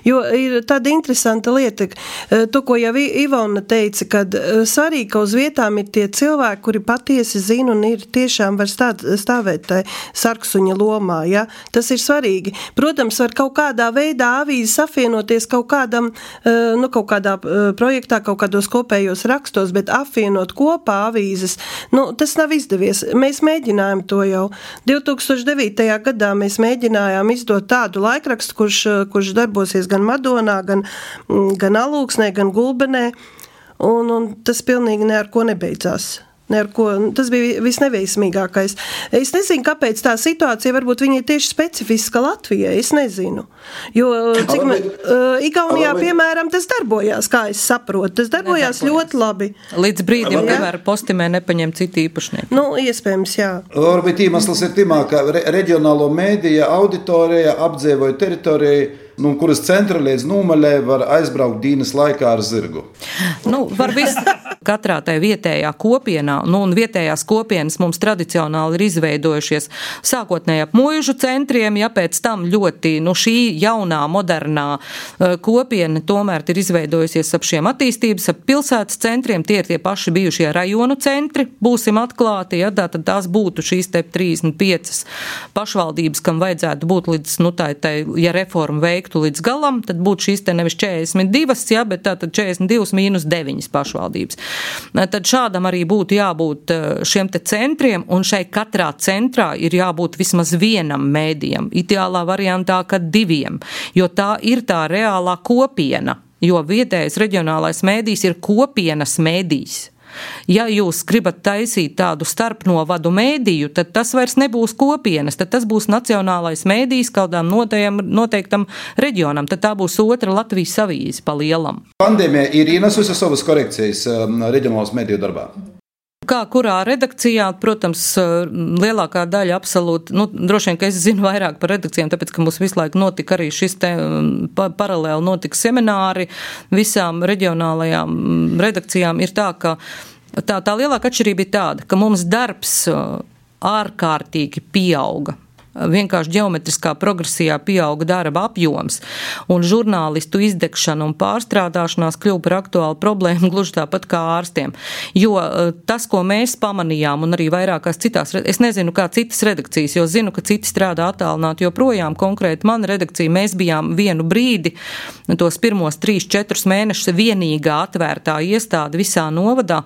Jo ir tāda interesanta lieta, to, ko jau Ivona teica, kad svarīgi, ka uz vietām ir tie cilvēki, kuri patiesi zina un ir tiešām var stāt, stāvēt tai sarksuņa lomā. Ja? Tas ir svarīgi. Protams, var kaut kādā veidā avīzes apvienoties kaut kādam, nu, kaut kādā projektā, kaut kādos kopējos rakstos, bet apvienot kopā avīzes, nu, tas nav izdevies. Mēs mēģinājām to jau. divi tūkstoši devītajā gadā mēs mēģinājām izdot tādu laikrakstu, kurš, kurš darbosies gan Madonā, gan, gan Alūksnē, gan Gulbenē, un, un tas pilnīgi ne ar ko nebeidzās. Ne ar ko, tas bija visneveiksmīgākais. Es nezinu, kāpēc tā situācija varbūt viņa ir tieši specifiska Latvijai, es nezinu. Jo, cik man, uh, Igaunijā, piemēram, tas darbojās, kā es saprotu, tas darbojās ļoti labi. Līdz brīdim, kamēr postimē nepaņem citi īpašnieki. Nu, iespējams, jā. Varbūt iemesls ir timā, ka re reģionālo mēdīja auditorija apdzīvoja teritoriju, nu, kuras centra līdz Nūmaļai var aizbraukt dienas laikā ar zirgu. Nu, var viss. Katrā tai vietējā kopienā, nu, un vietējās kopienas mums tradicionāli ir izveidojušies sākotnēji ap muižu centriem, ja pēc tam ļoti, nu, šī jaunā, modernā uh, kopiena tomēr ir izveidojusies ap šiem attīstības, ap pilsētas centriem, tie ir tie paši bijušie rajonu centri, būsim atklāti, ja, tā, tad tās būtu šīs te trīsdesmit piecas pašvaldības, kam vajadzētu būt līdz, nu, tā, tā, ja reforma veiktu līdz galam, tad būtu šīs te nevis četrdesmit divas, ja, bet tā tad četrdesmit divas mīnus deviņas pašvaldības. Tad šādam arī būtu jābūt šiem te centriem, un šai katrā centrā ir jābūt vismaz vienam mēdījam, ideālā variantā, ka diviem, jo tā ir tā reālā kopiena, jo vietējais reģionālais mēdījis ir kopienas mēdījis. Ja jūs gribat taisīt tādu starpnovadu mēdīju, tad tas vairs nebūs kopienas, tad tas būs nacionālais mēdījis kādām noteiktam reģionam, tad tā būs otra Latvijas avīze pa lielam. Pandēmija ir ienesusi savas korekcijas reģionālos mēdīju darbā. Kā kurā redakcijā, protams, lielākā daļa absolūti, nu, droši vien, ka es zinu vairāk par redakcijām, tāpēc, ka mums visu laiku notika arī šis te pa, paralēli notika semināri visām reģionālajām redakcijām, ir tā, ka tā, tā lielāka atšķirība ir tāda, ka mums darbs ārkārtīgi pieauga. Vienkārši ģeometriskā progresijā pieauga darba apjoms, un žurnālistu izdegšana un pārstrādāšanās kļuva par aktuālu problēmu gluži tāpat kā ārstiem. Jo tas, ko mēs pamanījām, un arī vairākās citās, es nezinu, kā citas redakcijas, jo zinu, ka citi strādā attālināti joprojām, konkrēti mana redakcija, mēs bijām vienu brīdi, tos pirmos trīs, četrus mēnešus vienīgā atvērtā iestāde visā novadā,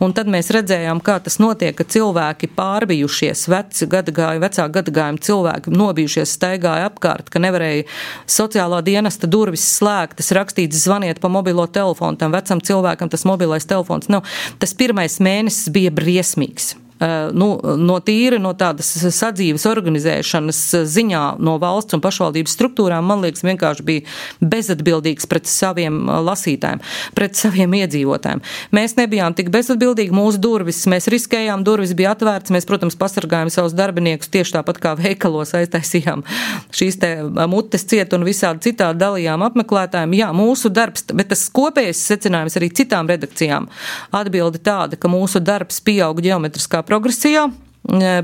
un tad mēs redzējām, kā tas notiek, ka cilvēki pārbijušies, veci gadagāju, vecā gadagājuma cilvēki nobijušies, staigāja apkārt, ka nevarēja sociālā dienesta durvis slēgtas, rakstīts, zvaniet pa mobilo telefonu, tam vecam cilvēkam tas mobilais telefons nav. Tas pirmais mēnesis bija briesmīgs. Nu, no tīri, no tādas sadzīves organizēšanas ziņā no valsts un pašvaldības struktūrām, man liekas, vienkārši bija bezatbildīgs pret saviem lasītājiem, pret saviem iedzīvotājiem. Mēs nebijām tik bezatbildīgi, mūsu durvis, mēs riskējām, durvis bija atvērts, mēs, protams, pasargājām savus darbiniekus tieši tāpat kā veikalos aiztaisījām šīs te mutes ciet un visādi citādi dalījām apmeklētājiem. Jā, mūsu darbs, bet tas kopējais secinājums arī citām redakcijām atbildi tāda, ka mūsu darbs pieauga ģeometriskā progresijā,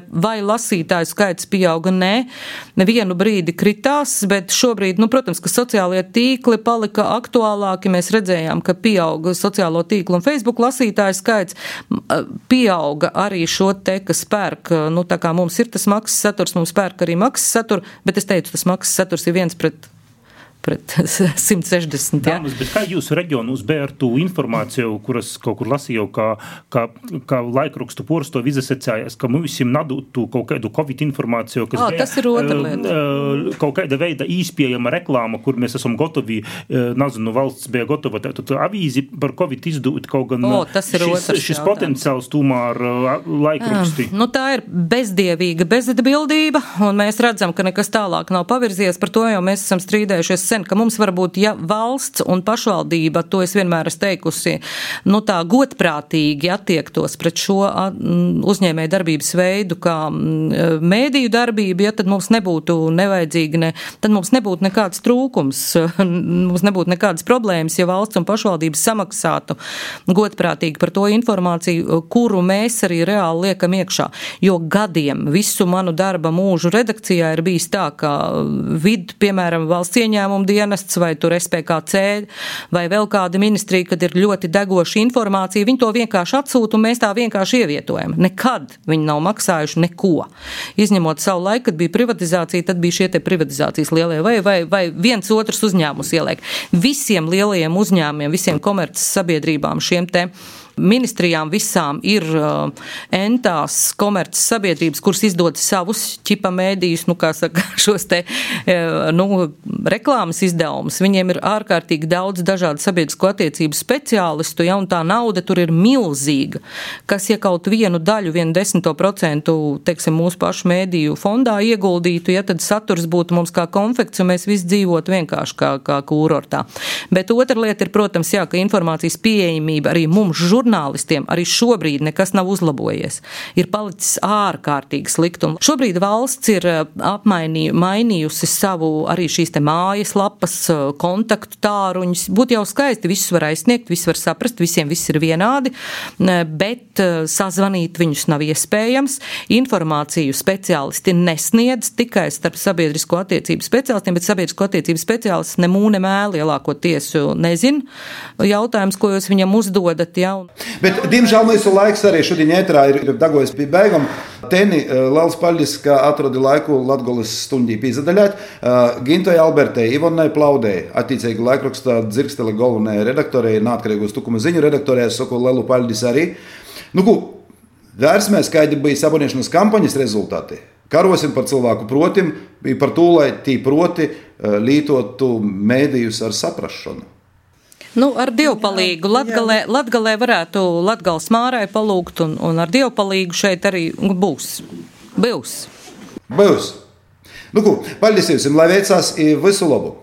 vai lasītāju skaits pieauga, nē, nevienu brīdi kritās, bet šobrīd, nu, protams, ka sociālie tīkli palika aktuālāki, mēs redzējām, ka pieauga sociālo tīklu un Facebook lasītāju skaits, pieauga arī šo te, kas pērk, nu, tā kā mums ir tas maksas saturs, mums pērk arī maksas satur, bet es teicu, tas maksas saturs ir viens pret pret simt sešdesmit. Ja? Dāmas, bet kā jūsu reģionus bija ar tū informāciju, kuras kaut kur lasīju, kā, kā, kā laikrakstu porsto izasecējās, ka mums nadūt tū kaut kādu Covid informāciju, kas oh, bija tas ir otra lieta. Kaut kāda veida īspējama reklāma, kur mēs esam gotovi, nezinu, valsts bija gatova, tad avīzi par Covid izdūt kaut gan oh, tas ir šis, šis potenciāls tūmā ar laikraksti. Nu, tā ir bezdievīga bezatbildība, un mēs redzam, ka nekas tālāk nav pavirzies, par to jau mēs esam strīdējušies sen, ka mums varbūt, ja valsts un pašvaldība, to es vienmēr esmu teikusi, nu tā godprātīgi attiektos pret šo uzņēmēju darbības veidu, kā mēdīju darbība, ja tad mums nebūtu nevajadzīgi, ne, tad mums nebūtu nekāds trūkums, mums nebūtu nekādas problēmas, ja valsts un pašvaldības samaksātu godprātīgi par to informāciju, kuru mēs arī reāli liekam iekšā. Jo gadiem visu manu darba mūžu redakcijā ir bijis tā, ka vid, piemēram, valsts ieņēmuma dienests vai tur S P K C vai vēl kāda ministrija, kad ir ļoti degoša informācija, viņi to vienkārši atsūta un mēs tā vienkārši ievietojam. Nekad viņi nav maksājuši neko. Izņemot savu laiku, kad bija privatizācija, tad bija šie te privatizācijas lielie vai, vai, vai viens otrs uzņēmums ieliek. Visiem lielajiem uzņēmumiem, visiem komerces sabiedrībām, šiem te ministrijām visām ir uh, entās komerces sabiedrības, kuras izdod savus ķipa mēdījus, nu kā saka, šos te uh, nu, reklāmas izdevumus. Viņiem ir ārkārtīgi daudz dažādu sabiedrisko attiecību speciālistu, ja, un tā nauda tur ir milzīga, kas, ja kaut vienu daļu, vienu desmito procentu, teiksim, mūsu pašu mēdīju fondā ieguldītu, ja tad saturs būtu mums kā konfekts, un mēs visi dzīvotu vienkārši kā, kā kūrortā. Bet otra lieta ir, protams, jā, ka informācijas pieejamība arī mums žurnālistiem Žurnālistiem arī šobrīd nekas nav uzlabojies. Ir palicis ārkārtīgi sliktumi. Šobrīd valsts ir apmainījusi savu arī šīs te mājas lapas, kontaktu tāruņus. Būtu jau skaisti, visus var aizsniegt, visus var saprast, visiem viss ir vienādi, bet sazvanīt viņus nav iespējams. Informāciju speciālisti nesniedz tikai starp sabiedrisko attiecību speciālistiem, bet sabiedrisko attiecību speciālists ne mūne mēli lielākoties nezin jautājums, ko jūs viņam uzdodat, ja. Bet, diemžēl, mūsu laiks arī šodien ēterā ir dagojas pie beigām. Teni, liels paldies, ka atrodi laiku Latgoles stundī pīzadaļāt. Gintai Albertei, Ivonai Plaudei, attiecīgi laikrakstā Dzirkstele galvenajai redaktorei, neatkarīgos tukuma ziņu redaktorei, es saku lielu paldies arī. Nu, ko, vērsmēs, kādi bija saboniešanas kampaņas rezultāti. Karosim par cilvēku protim, par to, lai tī proti lītotu mēdījus ar saprašanu. Nu, ar dievpalīgu. Latgalē, Latgalē varētu Latgales Mārai palūgt, un, un ar dievpalīgu šeit arī būs. Būs. Būs. Nu, ko, paldies jums, lai veicās visu labu.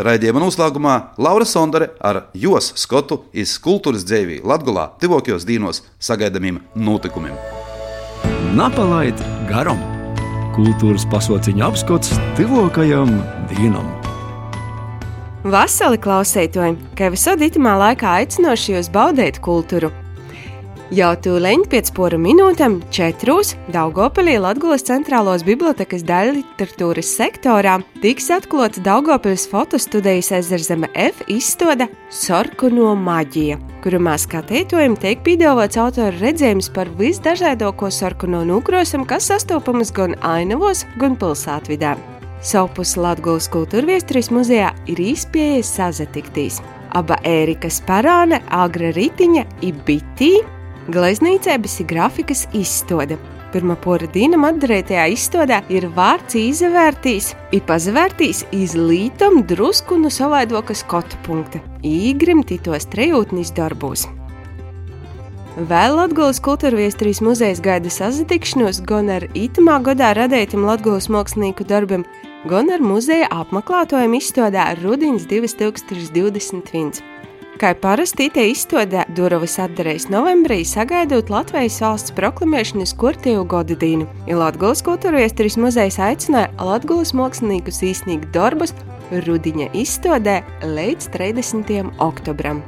Raidījuma noslēgumā Laura Sondare ar Jos skotu iz kultūras dzēvī Latgolā tivokajos dīnos sagaidamiem notikumiem. Napalaid garam. Kultūras pasauciņa apskots tivokajam dīnam. Vasali klausētoji, kā visod itamā laikā aicinoši jūs baudēt kultūru. Jau tūleņ pēc poru minūtēm četrūs Daugavpilī Latgoles centrālos bibliotekas daļliteratūras sektorā tiks atklāts Daugavpilis fotostudejas Ezerzeme F izstāde Sarkano maģija, kurumā skatītājiem tiek piedāvāts autora redzējums par visdažādāko sarkano nūkrosam, kas sastopamas gan ainavos, gan pilsētvidē. Savpus Latgoles kultūrviesturīs muzejā ir īspējas sazatiktīs. Aba Ērika Sparāne, Agra Ritiņa i Bitī, gleznīcēbas i grafikas izstāde. Pirmā pora dīnam atdarētajā izstādē ir vārds izvērtīs, i pazavērtīs iz lītam drusku no savaidoka skatu punkta, īgrim titos trejūtnis darbos. Vēl Latgoles kultūrviesturīs muzejs gaida sazatikšanos gan ar itamā gadā radētam Latgoles mākslinieku darbam, gan ar muzeja apmeklētojiem izstādē Rudins divi tūkstoši divdesmit viens. Kā parasti te izstādē durvis atdarēs novembrī, sagaidot Latvijas valsts proklamēšanas kortīvu godu dīnu. I Latgoles kultūrviesturīs muzejs aicināja Latgoles māksliniekus īsnīgt darbus Rudiņa izstādē līdz trīsdesmitajam oktobram.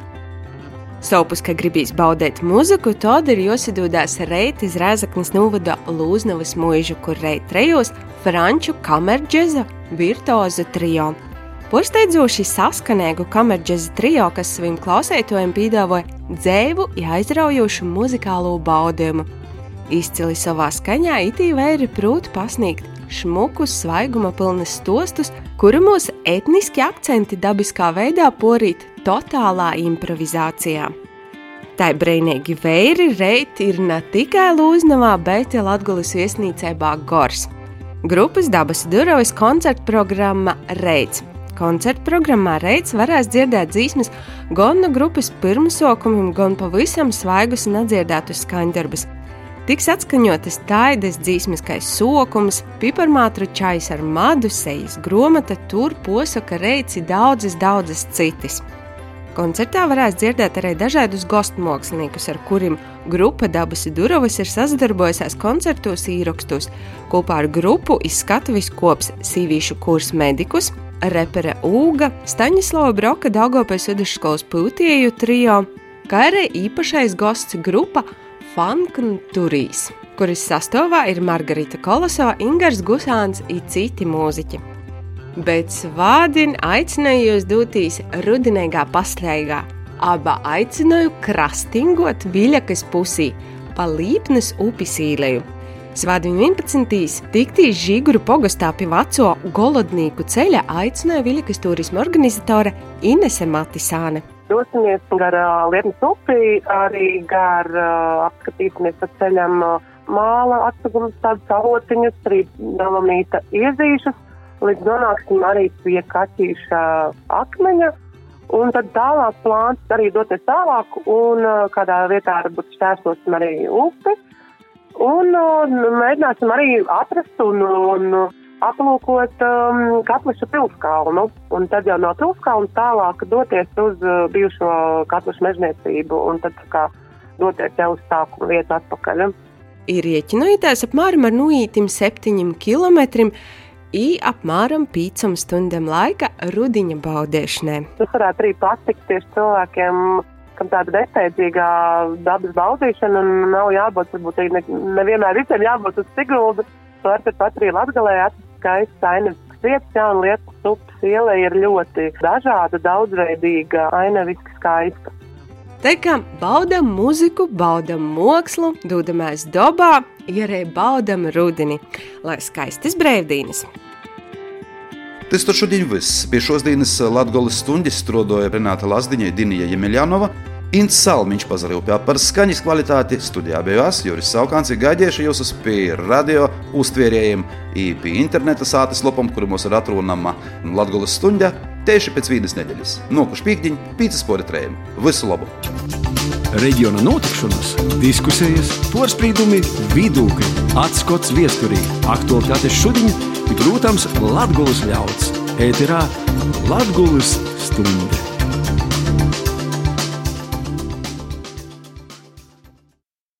Savpus, ka gribīs baudēt muziku, tad ir josadūdās reit iz Rēzaknes novada Lūznavas mūžu, kur reit trejos franču kamerģeza virtuozu trio. Porsteidzoši saskanēgu kamerģeza trio, kas saviem klausētojiem piedāvoja dzēvu i aizraujošu muzikālo baudījumu. Izcili savā skaņā itī vēri prūt pasniegt šmukus, svaiguma pilnas stostus, kuru mūs etniski akcenti dabiskā veidā porīt totālā improvizācijā. Tai breinīgi vēri reit ir ne tikai Lūznavā, bet Latgoles viesnīcībā Gors. Grupas Dabas durvis koncerta programma Reits. Koncerta programmā Reits varēs dzirdēt dzīsmes gan no grupas pirmsokumiem, gan pavisam svaigus un atdzirdētus skaņdarbus. Tiks atskaņotas taidas dzīsmiskais sokums, piparmātru čais ar madu, sejas gromata, tur posaka reici daudzas, daudzas citas. Koncertā varēs dzirdēt arī dažādus gostmāksliniekus, ar kuriem grupa Dabas Durovas ir sadarbojusies koncertos īrakstos. Kopā ar grupu izskatuvis kops sīvīšu kurs medikus, repere Ūga, Staņislava Broka Daugavpils vidusskolas pūtieju trio, kā arī īpašais gosts grupa Fankn Turīs, kuris sastāvā ir Margarita Kolosova, Ingars Gusāns i citi mūziķi. Bet svādien aicināju jūs dūtīs rudinīgā pasteigā. Aba aicināju krastingot Viļakas pusī pa Līpnes upis īleju. Svādien vienpadsmitīs tiktīs Žiguru pogastā pie veco Golodnīku ceļa aicināja Viļakas turisma organizatore Inese Matisāne. Dosimies gar uh, Lietnes upi, arī gar uh, apskatīsimies pa ceļam uh, māla atsagumus, tādus avotiņus, arī dalamīta iezīšus. Līdz nonāksim arī pie Kaķīša akmeņa, un tad tālāk plāns arī doties tālāk, un kādā vietā varbūt šķērsosim arī upi, un mēģināsim arī atrast un, un aplūkot um, Katliša pilskalnu, un tad jau no pilskalnas tālāk doties uz uh, bijušo Katliša mežniecību, un tad kā doties jau uz sākuma vietu atpakaļ. Ir rieķinojoties apmēram ar nuītim septiņiem kilometriem, i apmēram pīcam stundam laika rudiņa baudēšanai. Tas varētu arī patikt tieši cilvēkiem, kam tāda nesteidzīgā dabas baudīšana, un nav jābūt, varbūt arī ne, nevienmēr visiem jābūt uz Siguldu. Var pat arī Latgalē atrast skaists ainevisks vietas, jā, un Lietuvas upes iele ir ļoti dažāda, daudzveidīga, aineviski skaista. Tā kā baudam muziku, baudam mākslu, dūdamies dobā, ja arī baudam rudini, lai skaistas brīvdienas. Tas tur šodien viss. Pie šos dienas Latgoles stuņģis strodoja Renāta Lazdiņa, Dinija Jemeļanova, Ints Salmiņš pazarīja par skaņas kvalitāti, studijā bija es, Juris Saukāns, ir gaidījuši jūs pie radio uztvērējiem, pie interneta sātes lopam, kuru mums ir atrunama Latgoles stuņģa, tieši pēc vīdas nedēļas. Nokuši pīkdiņ, pīcis pori trējiem. Visu labu! Reģiona notikšanas, diskusijas, porspīdumi, vidūkļi, atskots viesturī, aktualitātes šodiņ, ir, protams, Latgoles ļauds. Ēterā Latgoles stunde.